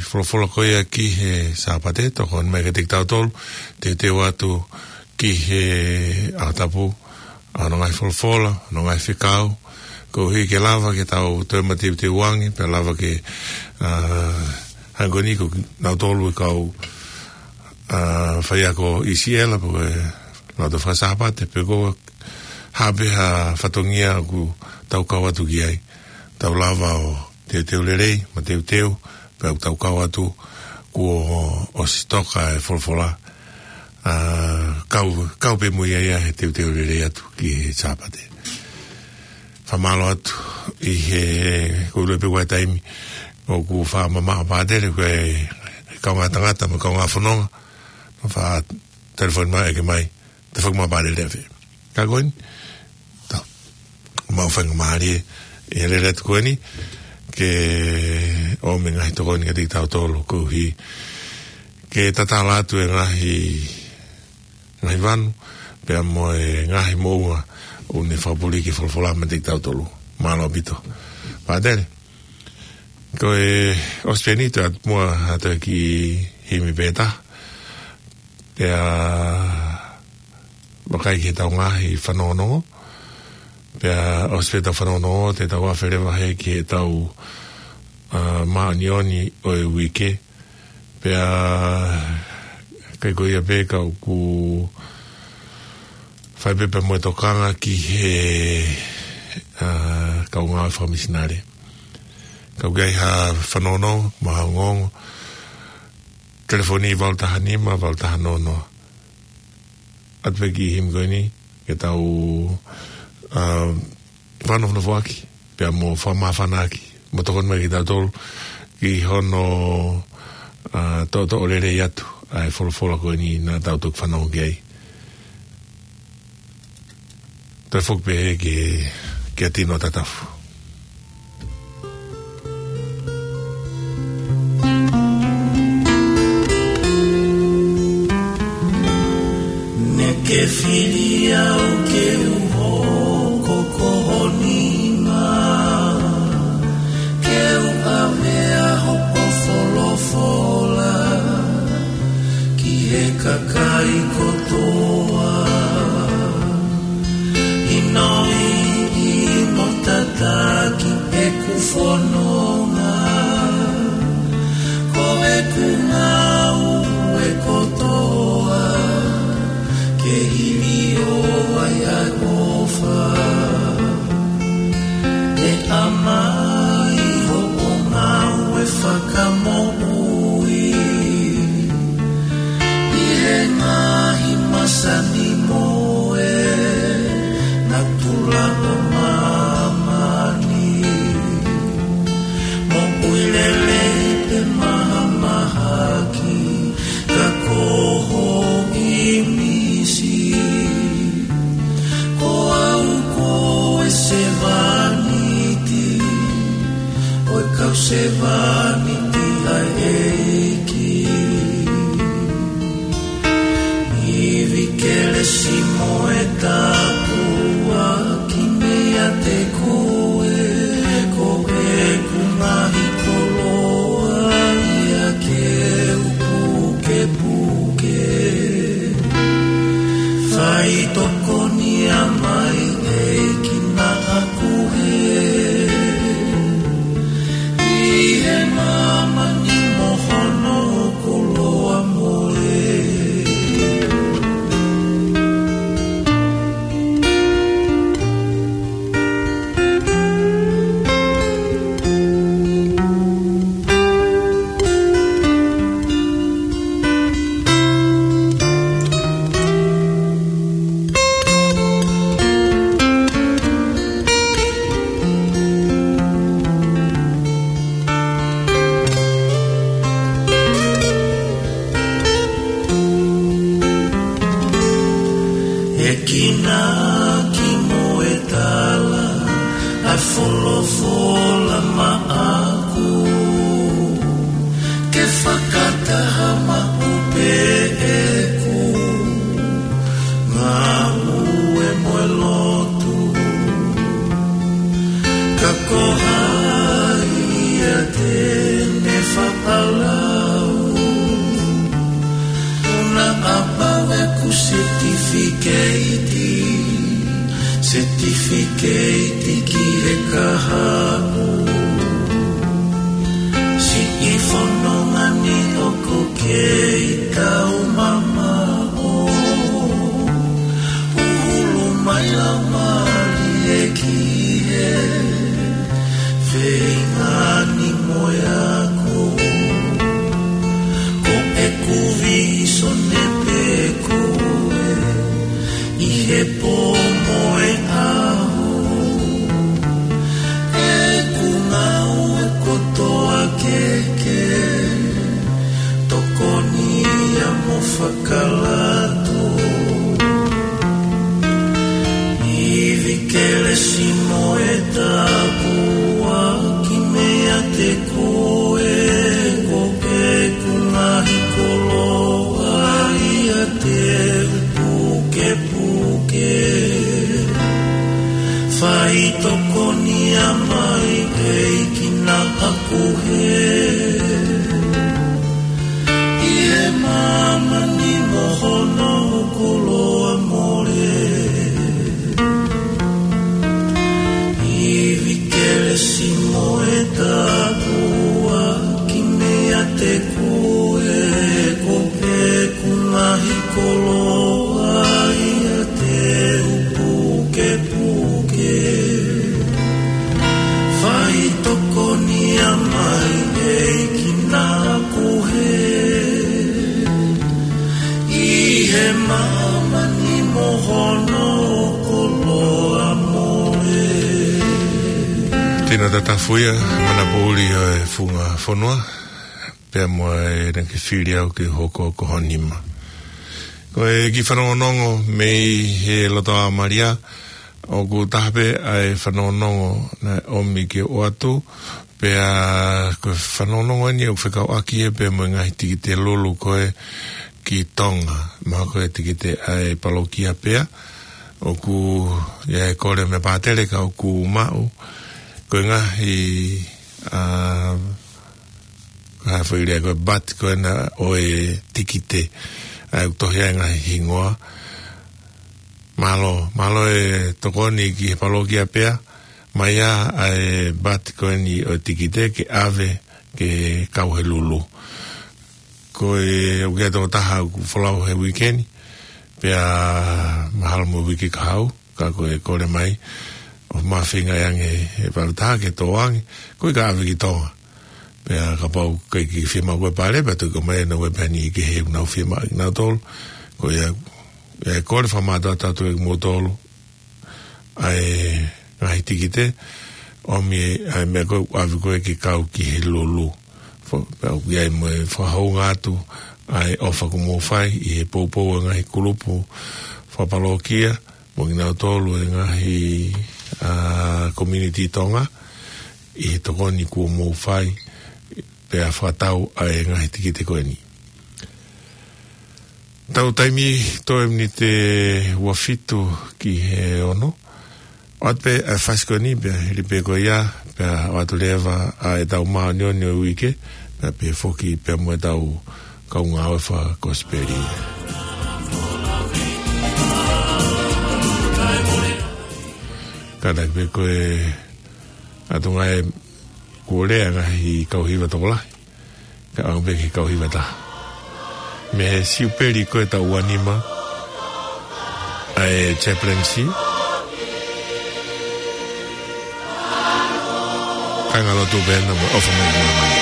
folofola ko ia ki he Sāpate, tokoni mai kiate kitautolu, teuteu atu ki he ʻaho tapu, ʻa hono ngaahi folofola, hono ngaahi fekau, koeʻuhi ke lava ke tau toe mateuteu ange, pea lava ke, ʻa, hangē ko eni ko kinautolu e kau, ʻa, faiako ʻi Siela, pe ko e lotu faka-Sāpate, pe ko e hā pē ha fatongia ʻoku tau kau atu ki ai. Tau lava ʻo teuteu lelei, mateuteu, pea ʻoku tau kau atu kuo ʻosi toka e folofola. ʻA, kau, kau pē mo ia ia he teuteu lelei atu ki he Sāpate. Fakamālō atu ʻi he, ko e ʻuluaki pē ʻa e taimi ʻoku fakamamaʻo Pātele, ko e kaungā tangata mo e kaungā fononga, mo e fakatelefoni mai ʻeke mai, te fakamamaʻo Pātele afe. Ka ko eni, tau, mau faingamālie ʻi he lele atu ko eni, ke ʻomai e ngaahi tokoni kiate kitautolu koeʻuhi ke tatala atu e ngaahi, ngaahi vanu, pea mo e ngaahi moʻunga ʻoku ne fakapuli ki he folofola mai kiate kitautolu. Mālō ʻaupito. Pātele, ko e ʻosi pē eni, tau ʻalu muʻa atu ki he himi pē ʻe taha. Pea vakai ki heʻetau ngaahi fanongonongo. Pea ʻosi pē ʻetau fanongonongo, te tau afe leva hē ki heʻetau, ā, māʻoniʻoni ʻo e uike. Pea ʻikai ko ia pē, ka ʻoku fai pē pea mo e tokanga ki he, ā, kau ngāue fakamisinale. Ka ʻoku ʻi ai ha fanongonongo, mo ha ongoongo, telefoni valu taha nima, valu taha noa noa. ʻAtu pē ki he himi ko eni, ke tau, ā, fakanofonofo ʻaki, pea mo fakamāfana ʻaki, mo tokoni mai kiate kitautolu, ki hono, ā, toʻotoʻo lelei atu ʻa e folofola ko eni naʻa tau toki fanongo ki ai. Toe foki pē ki, kia Tino Tatafu. Naʻá ke fili au ke u hoko ko ho nima, ke u ʻave ʻa hoʻo folofola ki he kakai kotoa. ʻInoiʻi mo tataki ʻeku fononga, ko ʻeku ngāue kotoa, ke hili ʻo ai ʻa e ʻofa. ʻE ʻa mai hoʻo ngāue fakamoʻui ʻi he ngaahi masani mo e natula ʻo māmani. Moʻui lelei pe mahamahaki, ka ko ho ʻīmisi. Ko au ko e sevāniti ʻo e kau sevāniti ʻa e ʻEiki. Ivi kelesi mo e tāpuaki meiate koe, ko ʻeku ngaahi koloa ia ke u pukepuke. Faitokoniʻi mai ʻEiki naʻa ku hē, ʻi he māmani mo hono koloa mo e ʻEiki naʻá ke mo e tala ʻa e folofola maʻaku, ke fakataha maʻu pē ʻeku ngāue mo e lotu. Ka ko hai ia te ne fakalau? ʻOku na ʻapau ʻeku setifiketi, setifiketi ki he kahaʻu. Siʻi fononga ni ʻoku kei taumamaʻo, ʻuhulu mai lau mali ē ki he feinga ni mo e ako. Ko ʻeku vīsone pē ko ē ʻi he pō mo e ʻaho, ʻeku ngāue kotoa ke ke tokoniʻi mo fakalato. Ivi kelesi mo e tāpuaki meiate koe, ko ʻeku ngaahi koloa ia te u pukepuke. Faitokoniʻi mai ʻEiki naʻa ku hē, ʻi he māmani mo ho Naʻa tau tafuʻi ʻa e mana poʻuli ʻo e funga fonua, pea mo e naʻa ke fili au ke hoko ko ho nima. Ko e kiʻi fanongonongo mei he Lotoa Malia, ʻoku taha pē ʻa e fanongonongo naʻe ʻomi ke ʻoatu, pea ko e fanongonongo eni ʻoku fekauʻaki ia pea mo e ngaahi tikite lulu ko ē ki Tonga, mahalo ko e tikite ʻa e palokia pea, ʻoku ʻi ai e kole mei he pātele ka ʻoku maʻu, ko e ngaahi, ā, ko e hā e foʻi lea ko e bati ko ena ʻo e tikite, ʻa ē ʻoku tohi ai e ngaahi hingoa. Mālō, mālō e tokoni ki he palokia pea, mai ā ʻa e bati ko eni ʻo e tikite ke ʻave ke kau he lulu. Ko e ʻoku ʻi ai e tokotaha ʻoku folau he uike ni, pea mahalo mo e uike kahaʻu, ka ko e kole mai, ʻoku mafeinga ange ʻe he palataha ke tō ange, ko e ka ʻave ki Tonga. Pea kapau ʻoku ʻikai ke fiemaʻu ko e pale, pea toki ʻomai ʻe naua pē ha niʻihi kehe ʻoku nau fiemaʻu kinautolu, ko ia, ʻe kole fakamātoato atu ʻe kimoutolu, ʻa e ngaahi tikite, ʻomi ʻa e meʻa ko ē ʻoku ʻave ko ē ke kau ki he lulu. Fo-, pea ʻoku ʻi ai mo e fakahounga atu, ʻa e ʻofa kuo mou fai, ʻi he poupou ʻa e ngaahi kulupu fakapalokia, mo kinautolu e ngaahi, ā, community Tonga, ʻi he tokoni kuo mou fai, pea fakatau ʻa e ngaahi tikite ko eni. Tau taimi toe miniti ua fitu ki he ono. ʻOatu pē ʻa e fasi ko eni pea hili pē ko ia, pea ʻoatu leva ʻa e tau māʻoniʻoni ʻo e uike, pea pehē foki pea mo e tau kau ngāue fakakosipeli. Kātaki pē ko e ʻatu ngāue kuo lea ngaahi kau hiva tokolahi. Ka ʻoange pē ki he kau hiva ʻe taha. Mei he Siupeli ko e tau ua nima, ʻa e chaplaincy. Kāinga lotu pē na mo ʻOfa Mai Māmani.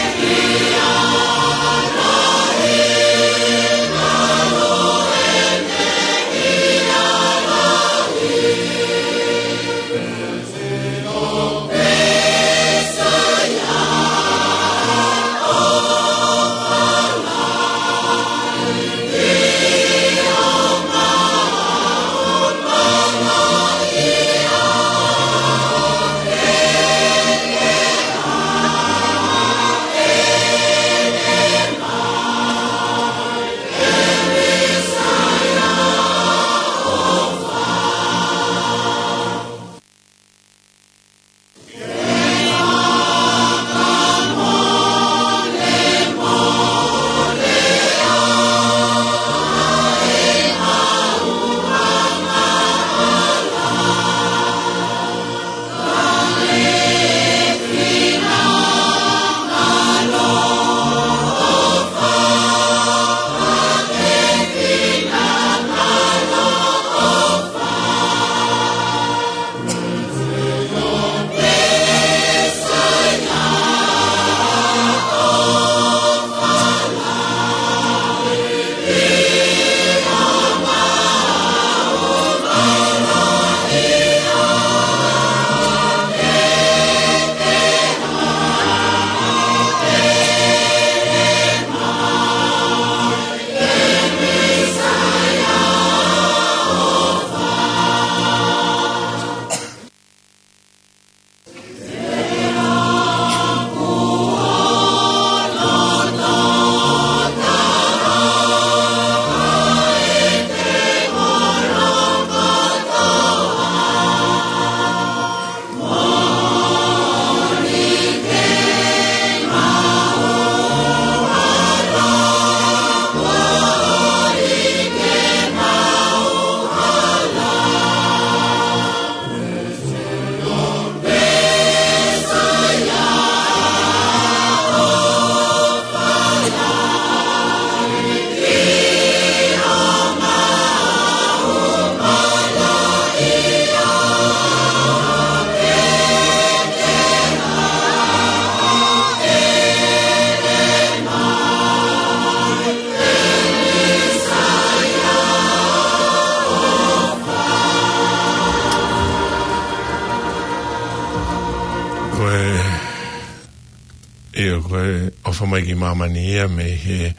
ʻIo, ko e ʻofa mai ki māmani ia mei he,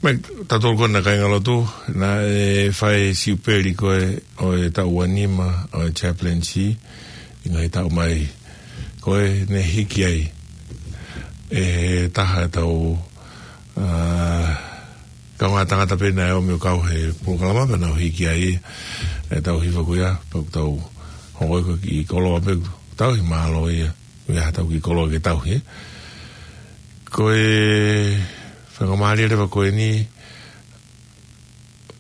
mei tautolu ko ena kāingalotu, naʻe fai siupeli ko ē ʻo e taʻu ua nima ʻo e chaplaincy, ʻi he ngaahi taʻu mai ko ē ne hiki ai ʻe he taha ʻetau, ā, kaungā tangata pē naʻe ō mai ʻo kau he polokalama pea nau hiki ai ʻetau hiva ko ia, pea ʻoku tau hoko ko ē ki koloa pē, tau hi mālō ia, ia tau ki koloa ke tau hi. Ko e faingamālie leva ko eni,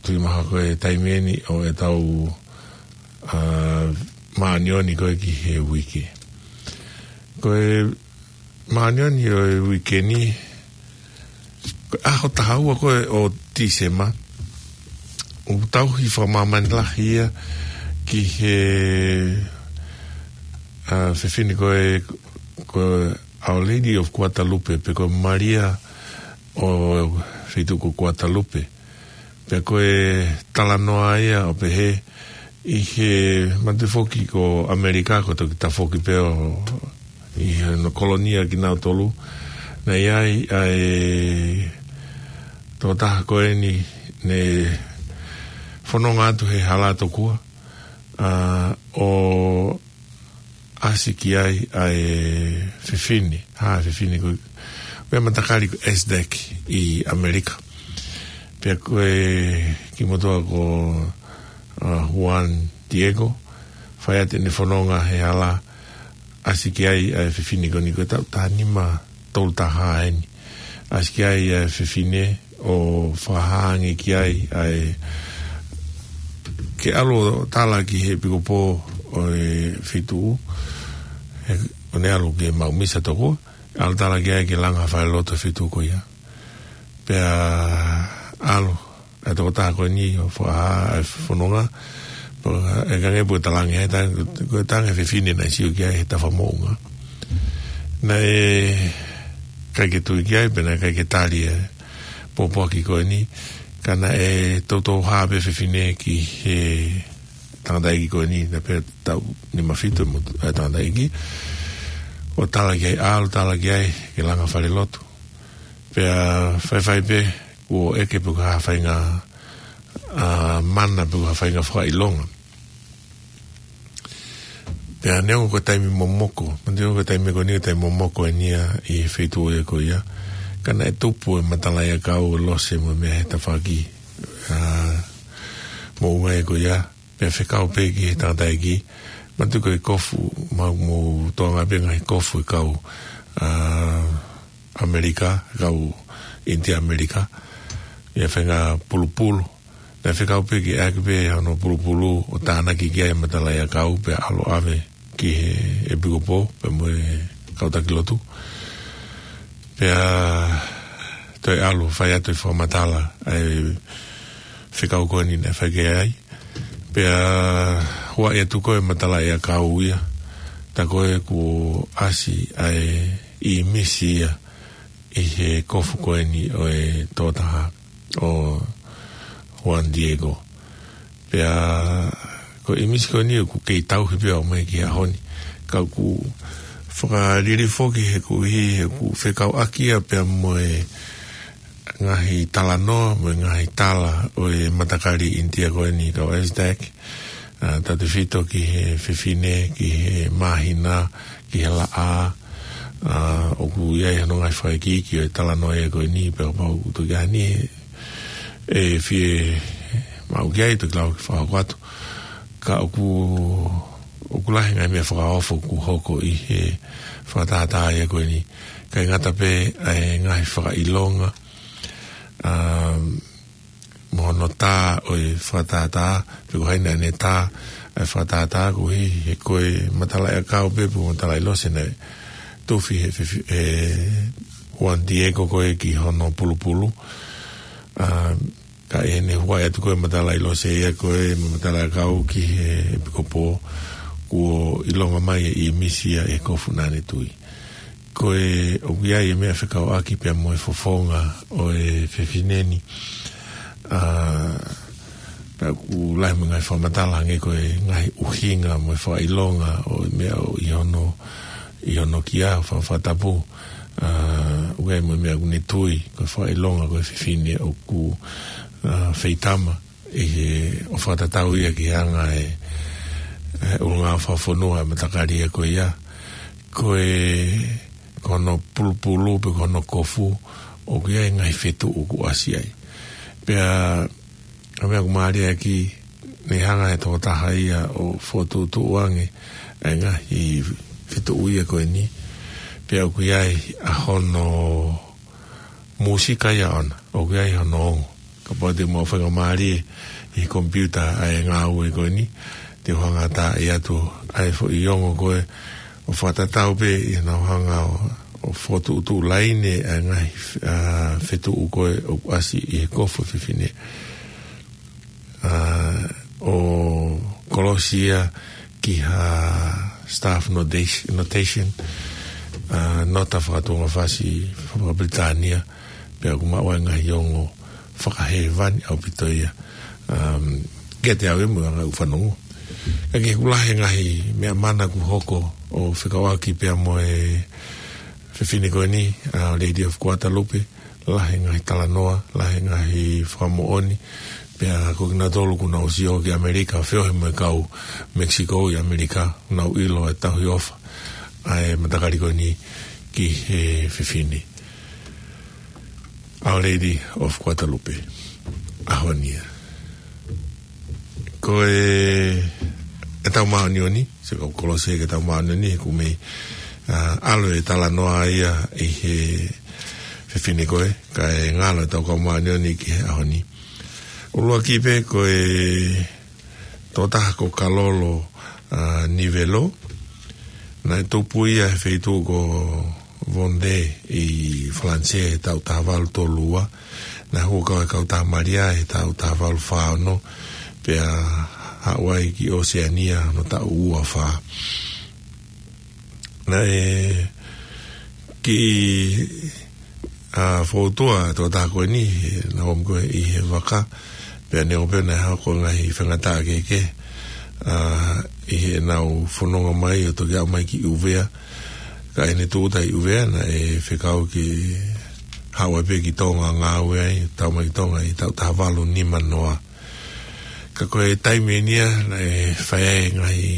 tui maha ko e taimi eni ʻo ʻetau, ā, māʻoniʻoni ko ē ki he uike. Ko e māʻoniʻoni ʻo e uike ni, ko e ʻaho taha ua ko ē ʻo Tīsema, ʻoku tauhi fakamāmani lahi ia ki he, ā, fefine ko ē, ko Our Lady of Guadalupe, pe ko Malia ʻo e feituʻu ko Guadalupe. Pea ko e talanoa ia ʻo pehē ʻi he, manatu foki ko ʻAmelika, ko e toki tafoki pē ʻo ʻi he no kolonia kinautolu. Naʻe ʻi ai ʻa e tokotaha ko eni ne fononga atu he hala tokua, ā, ʻo ʻasi ki ai ʻa e fefine, ha fefine ko e, ko e matakali ko Aztec ʻi ʻAmelika. Pea ko e kiʻi motuʻa ko, ā, Juan Diego, fai atu ʻene fononga he hala, ʻasi ki ai ʻa e fefine ko eni, ko e taʻu taha nima tolu taha eni. ʻAsi ki ai ʻa e fefine ʻo fakahā ange ki ai ʻa e, ke ʻalu ʻo tala ki he ʻepikopō ʻo e feituʻu, he, ʻo ne ʻalu ke maʻu misa tokua, ʻalu tala ki ai ke langa falelotu e feituʻu ko ia. Pea ʻalu ʻa e tokotaha ko eni ʻo fakahā ʻa e fononga, pea ʻikai ke pue talange he tang-, ko e tangi fefine naʻe sio ki ai he tafa moʻunga. Naʻe ʻikai ke tui ki ai, pea naʻe ʻikai ke tali e pōpoaki ko eni, ka naʻe toutou hā pē fefine ki he tangataʻeiki ko eni, naʻe pē taʻu nima fitu mo e tangataʻeiki, ʻo tala ki ai, ʻalu tala ki ai ke langa falelotu. Pea faifai pē kuo ʻeke pe ko e hā ha faʻahinga, ā, mana pe ko e hā ha faʻahinga fakaʻilonga. Pea neongo ko e taimi momoko, manatu ko e taimi ko eni ko e taimi momoko eni ia ʻi he feituʻu ia ko ia, ka naʻe tupu e matalaʻiʻakau, lose mo e meʻa he tafaʻaki, ā, moʻunga ia ko ia, pea fekau pē ki he tangataʻeiki, manatu ko e kofu, ma-, mou toʻonga pē ngaahi kofu e kau, ā, ʻAmelika, kau ʻInitia ʻAmelika, ʻi he faʻahinga pulupulu. Naʻe fekau pē ke ʻai pē hono pulupulu ʻo tānaki ki ai e matalaʻiʻakau pea ʻalu ʻo ʻave ki he ʻepikopō pea mo e kau taki lotu. Pea toe ʻalu fai atu e fakamatala ʻa e fekau ko eni naʻe fai ki ai. Pea huaʻi atu ko ē e matalaʻiʻakau ia, tā ko ē kuo ʻasi ʻa e ʻīmisi ia ʻi he kofu ko eni ʻo e tokotaha ʻo Juan Diego. Pea ko e ʻīmisi ko eni ʻoku kei tauhi pē ʻo aʻu mai ki he ʻaho ni. Ka ʻoku fakaliliu foki he ʻoku ʻi he ʻoku fekauʻaki ia pea mo e ngaahi talanoa, mo e ngaahi tala ʻo e matakali ʻInitia ko eni kau Aztec, ā, tautefito ki he fefine, ki he māhina, ki he laʻā, ā, ʻoku ʻi ai hono ngaahi fakaikiiki ʻo e talanoa ia ko eni, pea kapau ʻoku toki ʻi ai ha niʻihi ʻe fie maʻu ki ai, toki lava ke fakahoko atu. Ka ʻoku, ʻoku lahi e ngaahi meʻa fakaofo ʻoku hoko ʻi he fakatātā ia ko eni. ʻIkai ngata pē ʻa e ngaahi fakaʻilonga, ā, mo hono tā ʻo e fakatātā, pe ko hai naʻa ne tā ʻa e fakatātā, koeʻuhi he ko e matalaʻiʻakau pē, pe ko e matalaʻi lose naʻe tufi he, he, he Juan Diego ko ē ki hono pulupulu. Ā, ka ʻi heʻene huaʻi atu ko ē e matalaʻi lose ia ko ē mo e matalaʻiʻakau ki he ʻepikopō, kuo ʻilonga mai e ʻīmisi ia ʻi he kofu naʻa ne tui. Ko e ʻoku ʻi ai e meʻa fekauʻaki pea mo e fofonga ʻo e fefine ni. Ā, pea ʻoku lahi mo e ngaahi fakamatala hangē ko e ngaahi ʻuhinga mo e fakaʻilonga ʻo e meʻa ʻoku ʻi hono, ʻi hono kia, fa-, fakatapu. ʻA, ʻoku ʻi ai mo e meʻa ʻoku ne tui, ko e fakaʻilonga ko e fefine ʻoku, ʻa, feitama, ʻi he ʻo fakatatau ia ki he anga e, e ʻulungaanga fakafonua e matakali ia ko ia. Ko e, ko hono pulupulu pe ko hono kofu, ʻoku ʻi ai e ngaahi fetuʻu ʻoku ʻasi ai. Pea, ʻa e meʻa ʻoku mālie ʻaki, ne hanga he tokotaha ia ʻo fokotuʻutuʻu ange, e ngaahi fetuʻu ia ko eni. Pea ʻoku ʻi ai ʻa hono mūsika ia ʻona, ʻoku ʻi ai hono ongo. Kapau te mou faingamālie ʻi he computer ʻa e ngāue ko eni, te u hanga ʻatā atu ʻa e foʻi ongo ko ē ʻo fakatatau pē ʻi heʻenau hanga ʻo, ʻo fokotuʻutuʻu laine ʻa e ngaahi, ʻa, fetuʻu ko ē ʻoku ʻasi ʻi he kofu e fefine. ʻA, ʻo kolosi ia ki ha staff notation, notation, ʻa, nota fakatuʻungafasi faka-Pilitānia, pea ʻoku maʻu ai e ngaahi ongo fakahēvani ʻaupito ia. Um, ke te au e mua ngā ufanongo. Ka ke kula he ngaahi meʻa mana ʻoku hoko ʻo fekauʻaki pea mo e fefine ko eni, ʻa, Lady of Guadalupe, lahi e ngaahi talanoa, lahi e ngaahi fakamoʻoni, pea ko kinautolu ʻoku nau sio ki ʻAmelika, feohi mo e kau Mexico ʻi ʻAmelika, nau ʻilo e tauhi ʻofa ʻa e matakali ko eni ki he fefine. Our Lady of Guadalupe, ʻaho ni ia. Ko e, ʻetau māʻoniʻoni, sio kau kolosi ki heʻetau māʻoniʻoni, he ʻoku mei, ʻa, ʻalu e talanoa ia ʻi he fefine ko ē, kae ngalo ʻetau kau māʻoniʻoni ki he ʻaho ni. ʻUluaki pē ko e tokotaha ko Kalolo, ʻa, Nivelo, naʻe tupu ia he feituʻu ko Vendée ʻi Falanisē he taʻu taha valu tolu ua, naʻe hū kau he kau Tamalia he taʻu taha valu fā ono, pea haʻu ai ki ʻOseania hono taʻu ua fā. Naʻe kiʻi, ʻa, fōtua e tokotaha ko eni, he naʻe ō mai ko ē ʻi he vaka, pea neongo pē naʻe hoko e ngaahi faingataʻa kehekehe, ʻa, ʻi heʻenau fononga mai ʻo toki aʻu mai ki ʻUvea, ka ʻi heʻene tūʻuta ʻi ʻUvea, naʻe fekau ke haʻu ai pē ki Tonga ngāue ai, tau mai ki Tonga ʻi he taʻu taha valu nima noa. Ka ko e taimi eni ia, naʻe fai ai e ngaahi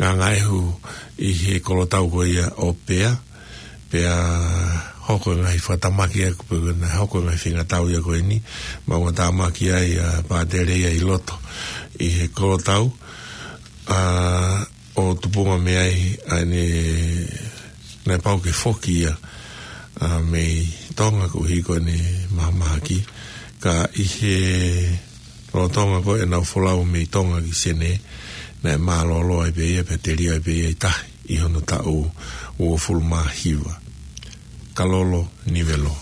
ngāngāʻehu ʻi he kolotau ko ia ʻo Pea, pea hoko e ngaahi fakatamaki ʻa ia ko ē, pea naʻe hoko e ngaahi faingataʻa ia ko eni, maʻumatamaki ai ʻa Pātele ia ʻi loto ʻi he kolotau, ʻa, ʻo tupunga mei ai ʻa ʻene, naʻe pau ke foki ia, ʻa, mei Tonga koeʻuhi ko ʻene mahamahaki, ka ʻi he lolotonga ko ē ʻenau folau mei Tonga ki Senē, naʻe mālōlō ai pē ia, pea telia ai pē ia ʻi tahi ʻi hono taʻu uofulu mā hiva. Kalolo Nivelo.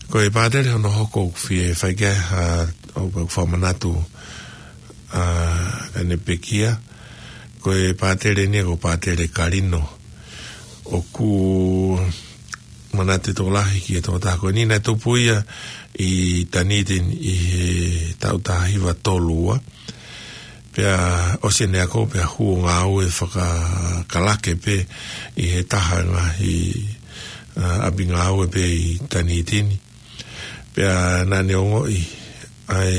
Ko e Pātele hono hoko ʻoku fie fai ki ai ha, ʻoku fakamanatu, ʻa, ʻene pekia. Ko e Pātele ni ko Pātele Kalino. ʻOku manatu e tokolahi ki he tokotaha ko eni, naʻe tupu ia ʻi Dunedin ʻi he taʻu taha hiva tolu ua. Pea ʻosi ʻene ako, pea hū ʻo ngāue fakakalake pē ʻi he taha e ngaahi, ʻa, ʻapi ngāue pē ʻi Dunedin. Pea naʻa ne ongoʻi ʻa e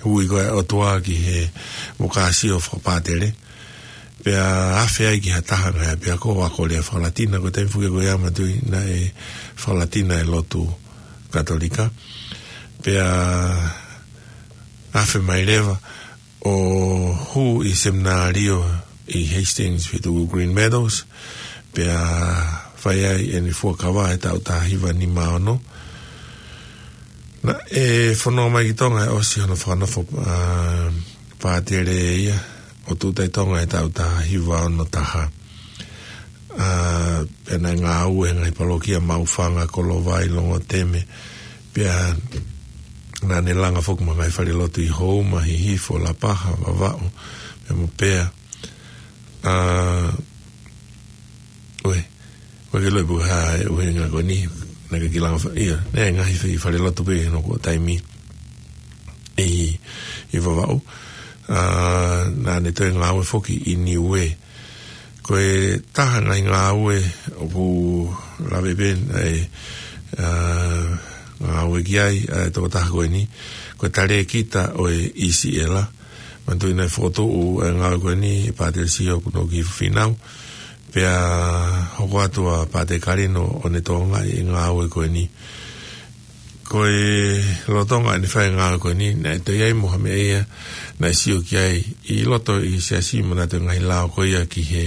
ui ko ē ʻa e ʻOtua ki he vokāsio fakapātele. Pea afe ai ki ha taha e ngaahi ʻapiako ʻo ako lea faka-Latina, ko e taimi foki ko ia manatuʻi naʻe faka-Latina e lotu Katolika. Pea afe mai leva ʻo hū ʻi he seminalio ʻi Hastings, feituʻu Greenmeadows, pea fai ai ʻene fuakava he taʻu taha hiva nima ono. Naʻe fononga mai ki Tonga ʻi he ʻosi hono fakanofo, ʻa, pātele ia, ʻo tūʻuta ʻi Tonga he taʻu taha hiva ono taha. ʻA, pea naʻe ngāue he ngaahi palokia Maʻufanga, Kolovai, Longoteme, pea naʻa ne langa foki mo e ngaahi falelotu ʻi Houma, Hihifo, Lapaha, Vavaʻu, pea mo Pea. ʻA, ʻoe, ʻoe ke loi puha e ʻuhinga ko eni, naʻe kiʻi langa fa-, ia, naʻe ngaahi fai falelotu pē ʻi hono ko e taimi ʻi, ʻi Vavaʻu. ʻA, naʻa ne toe ngāue foki ʻi Niue. Ko e taha e ngaahi ngāue ʻoku lave pē ʻa e, ā, ngāue ki ai ʻa e tokotaha ko eni, ko e talēkita ʻo e ʻIsiʻela. Manatuʻi naʻe fokotuʻu e ngāue ko eni ʻe Pātele Sio Kunoki Fīnau, pea hoko atu ʻa Pātele Kalino ʻo ne tokangaʻi e ngāue ko eni. Ko e lolotonga ʻene fai e ngāue ko eni, naʻe toe ʻi ai mo ha meʻa ia naʻe sio ki ai ʻi loto ʻi he siasi, manatuʻi e ngaahi lao ko ia ki he,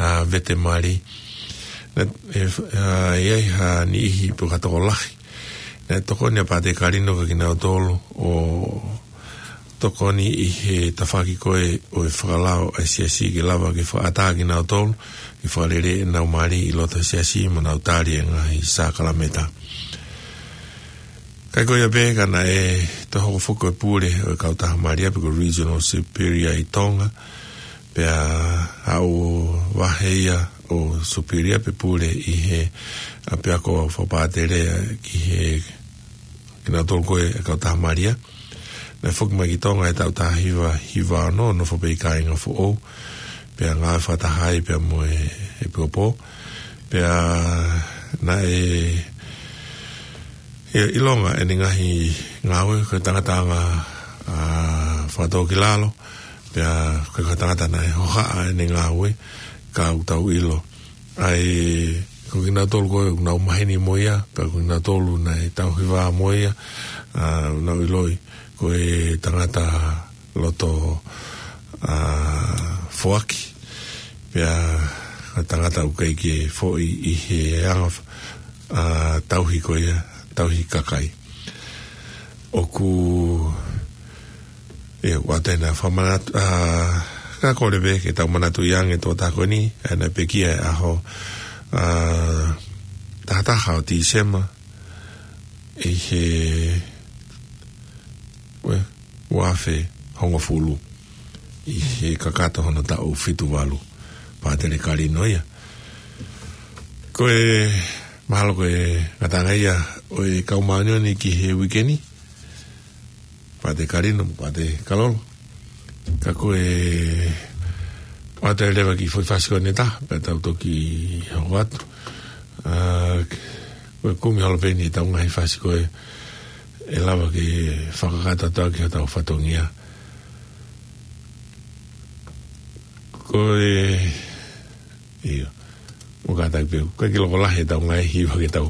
ā, vete mali. Naʻe, ē, ā, ʻi ai ha niʻihi pe ko ha tokolahi naʻe tokoni ʻa Pātele Kalino kia kinautolu ʻo tokoni ʻi he tafaʻaki ko ē ʻo e fakalao ʻa e siasi ke lava ke fakaʻatā kinautolu ke fakalele ʻenau mali ʻi loto he siasi mo nau tali e ngaahi sākalamēniti. Kae ko ia pē ka naʻe toe hoko foki ko e pule ʻo e kautaha mali ia pe ko e Regional Superior ʻi Tonga, pea aʻu vahe ia ʻo superior pe pule ʻi he ʻapiako fakapātele ki he kinautolu ko ē e kautaha mali ia. Naʻe foki mai ki Tonga he taʻu taha hiva hiva ono, nofo pē ʻi Kāinga Foʻou, pea ngāue fakataha ai pea mo e, e ʻEpikopo. Pea naʻe, ʻe, ʻilonga ʻene ngaahi ngāue, ko e tangata anga, ā, fakatōkilalo, pea ko e tangata naʻe hohaʻa ʻene ngāue, ka ʻoku tau ʻilo ʻa e, ko kinautolu ko ē ʻoku nau maheni mo ia, pea ko kinautolu naʻe tauhi vā mo ia, ā, nau ʻiloʻi ko e tangata loto, ā, foaki, pea ko e tangata ʻoku ʻikai ke foʻi ʻi he anga, ā, tauhi ko ia, tauhi kakai. ʻOku, ʻe, ʻoatu ʻena fakamanatu, ā, ka kole pē ke tau manatuʻi ange e tokotaha ko eni, ʻa ʻena pekia he ʻaho, ā, taha taha ʻo Tīsema, ʻi he, ue, ua afe hongofulu, ʻi he kakato hono taʻu fitu valu, Pātele Kalino ia. Ko e, mahalo ko e ngataʻanga ia ʻo e kau māʻoniʻoni ki he uike ni, Pātele Kalino, Pātele Kalolo. Ka ko e, ʻoatu leva e kiʻi foʻi fasi ko eni ʻe taha, pea tau toki hoko atu. Ā, ko e kumi holo pē eni ʻetau ngaahi fasi ko ē ʻe lava ke fakakakato atu ki hotau fatongia. Ko e, ʻIo. ʻOku kātaki pē, ʻoku ʻikai ke loko lahi ʻetau ngaahi hiva ke tau,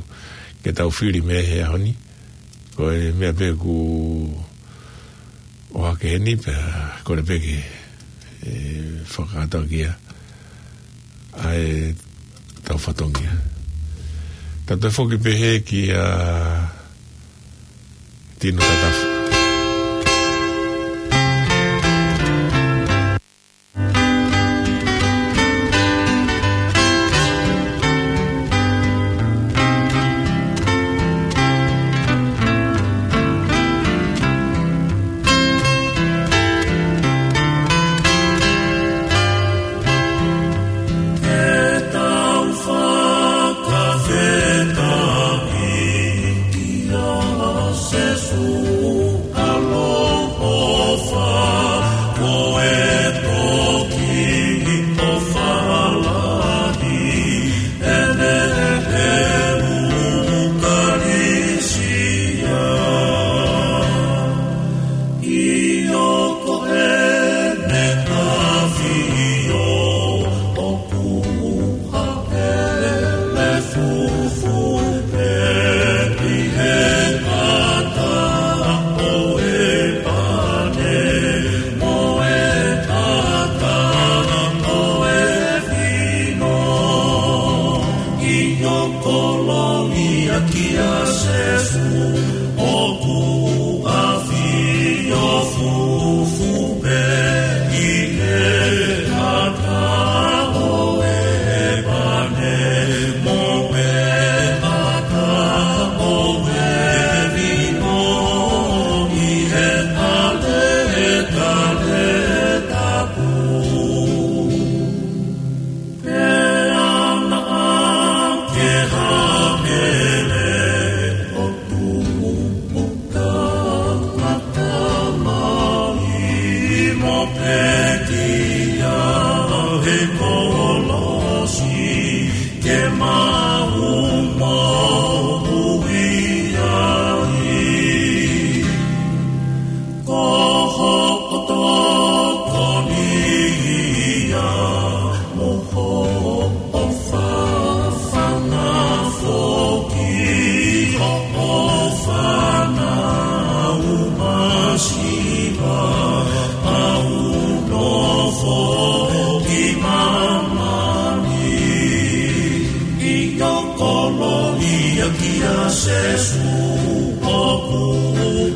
ke tau fili mei he ʻaho ni. Ko e meʻa pē ʻoku ʻohake heni pea kole pē ke, ē, fakakakato ki ai ʻa ʻetau fatongia. Tau toe foki pē hē kia Tino Tatafu. Sēsū ʻoku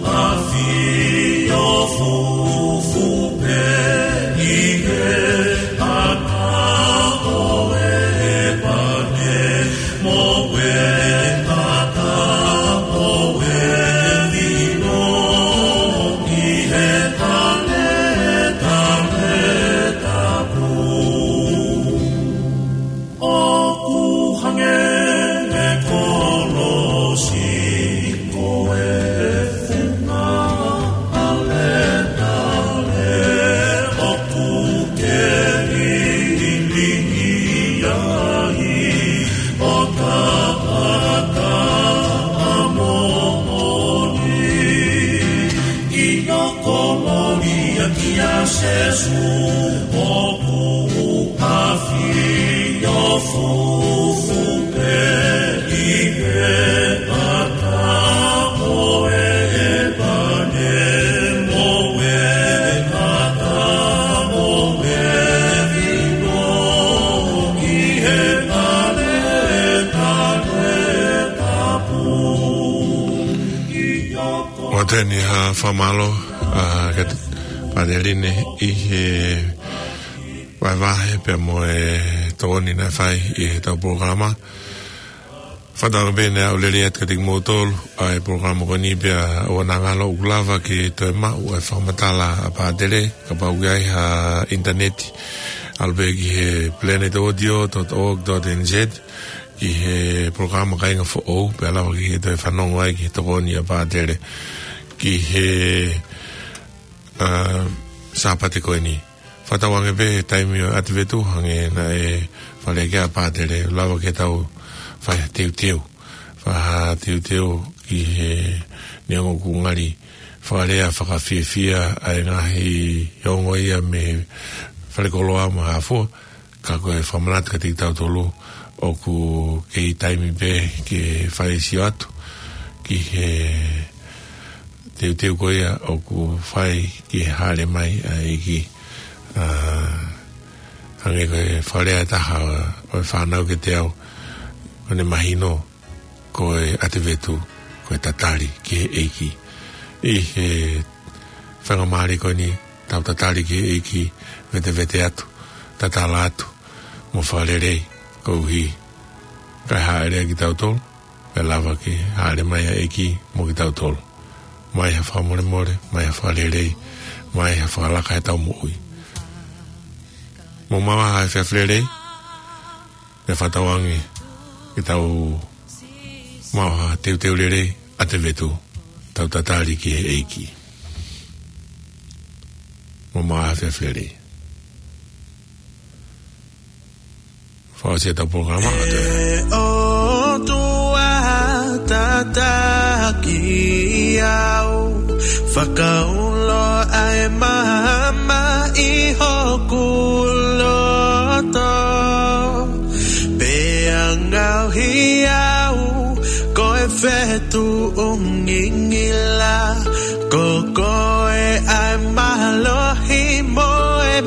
ʻafio fufū pē ʻi he ʻata ʻo e pane, mo e ʻata ʻo e vino ʻi he taletale tapu. ʻOku hangē ʻa e kolosi ko e funga ʻaletale ʻoku ke lilingi ai ʻo ka ʻata ʻa moʻoni. ʻIo, kolōlia kia Sēsū, ʻoku ʻafio fufū pē ʻi he ʻata ʻo e pane, mo e ʻata ʻo e vino ʻi he taletale tapu. ʻIo, ʻoatu eni ha fakamālō, ā, kia Pātele Line ʻi he vahevahe pea mo e tokoni naʻe fai ʻi heʻetau polokalama. Fakatauange pē naʻa lelei atu kiate kimoutolu ʻa e polokalama ko eni pea ʻoua naʻa ngalo ʻoku lava ke toe maʻu ʻa e fakamatala ʻa Pātele, kapau ʻoku ʻi ai ha ʻinitaneti, ʻalu pē ki he planet audio dot org dot N Z, ki he polokalama Kāinga Foʻou, pea lava ke toe fanongo ai ki he tokoni ʻa Pātele ki he, ā, Sāpate ko eni. Fakatauange pē he taimi ʻo e ʻAtivetu, hangē naʻe faleʻi ʻe Pātele, lava ke tau fai ha teuteu. Fai ha teuteu ki he neongo ʻoku ngali fakalea fakafiefia ʻa e ngaahi ongo ia mei falekoloa mo e hā fua, ka ko e fakamanatu kiate kitautolu ʻoku kei taimi pē ke fai e sio atu ki he teuteu ko ia ʻoku fai ki he Hāʻele Mai ʻa e ʻEiki. Ā, hangē ko e fakalea ʻe taha ʻo e fānau kiate au, ʻoku ne mahino ko e ʻAtivetu ko e tatali ki he ʻEiki. ʻI he faingamālie ko eni, tau tatali ki he ʻEiki, vetevete atu, tatala atu, mo fakalelei, koeʻuhi kae hāʻele kitautolu, pea lava ke hāʻele mai ʻa e ʻEiki mo kitautolu. Mai ha fakamolemole, mai ha fakalelei, mai ha fakalaka ʻetau moʻui. Mou maʻu ha efiafi lelei, pea fakatauange ke tau maʻu ha teuteu lelei, ʻAtivetu, tau tatali ki he ʻEiki. Mou maʻu ha efiafi lelei. Fakaʻosi ʻetau polokalama atu. ʻE ʻOtua tataki au, fakaulo ʻa e maama ʻi hoku loto, pea ngaohi au ko e fetuʻu ngingila, ko koe ʻa e mālohi mo e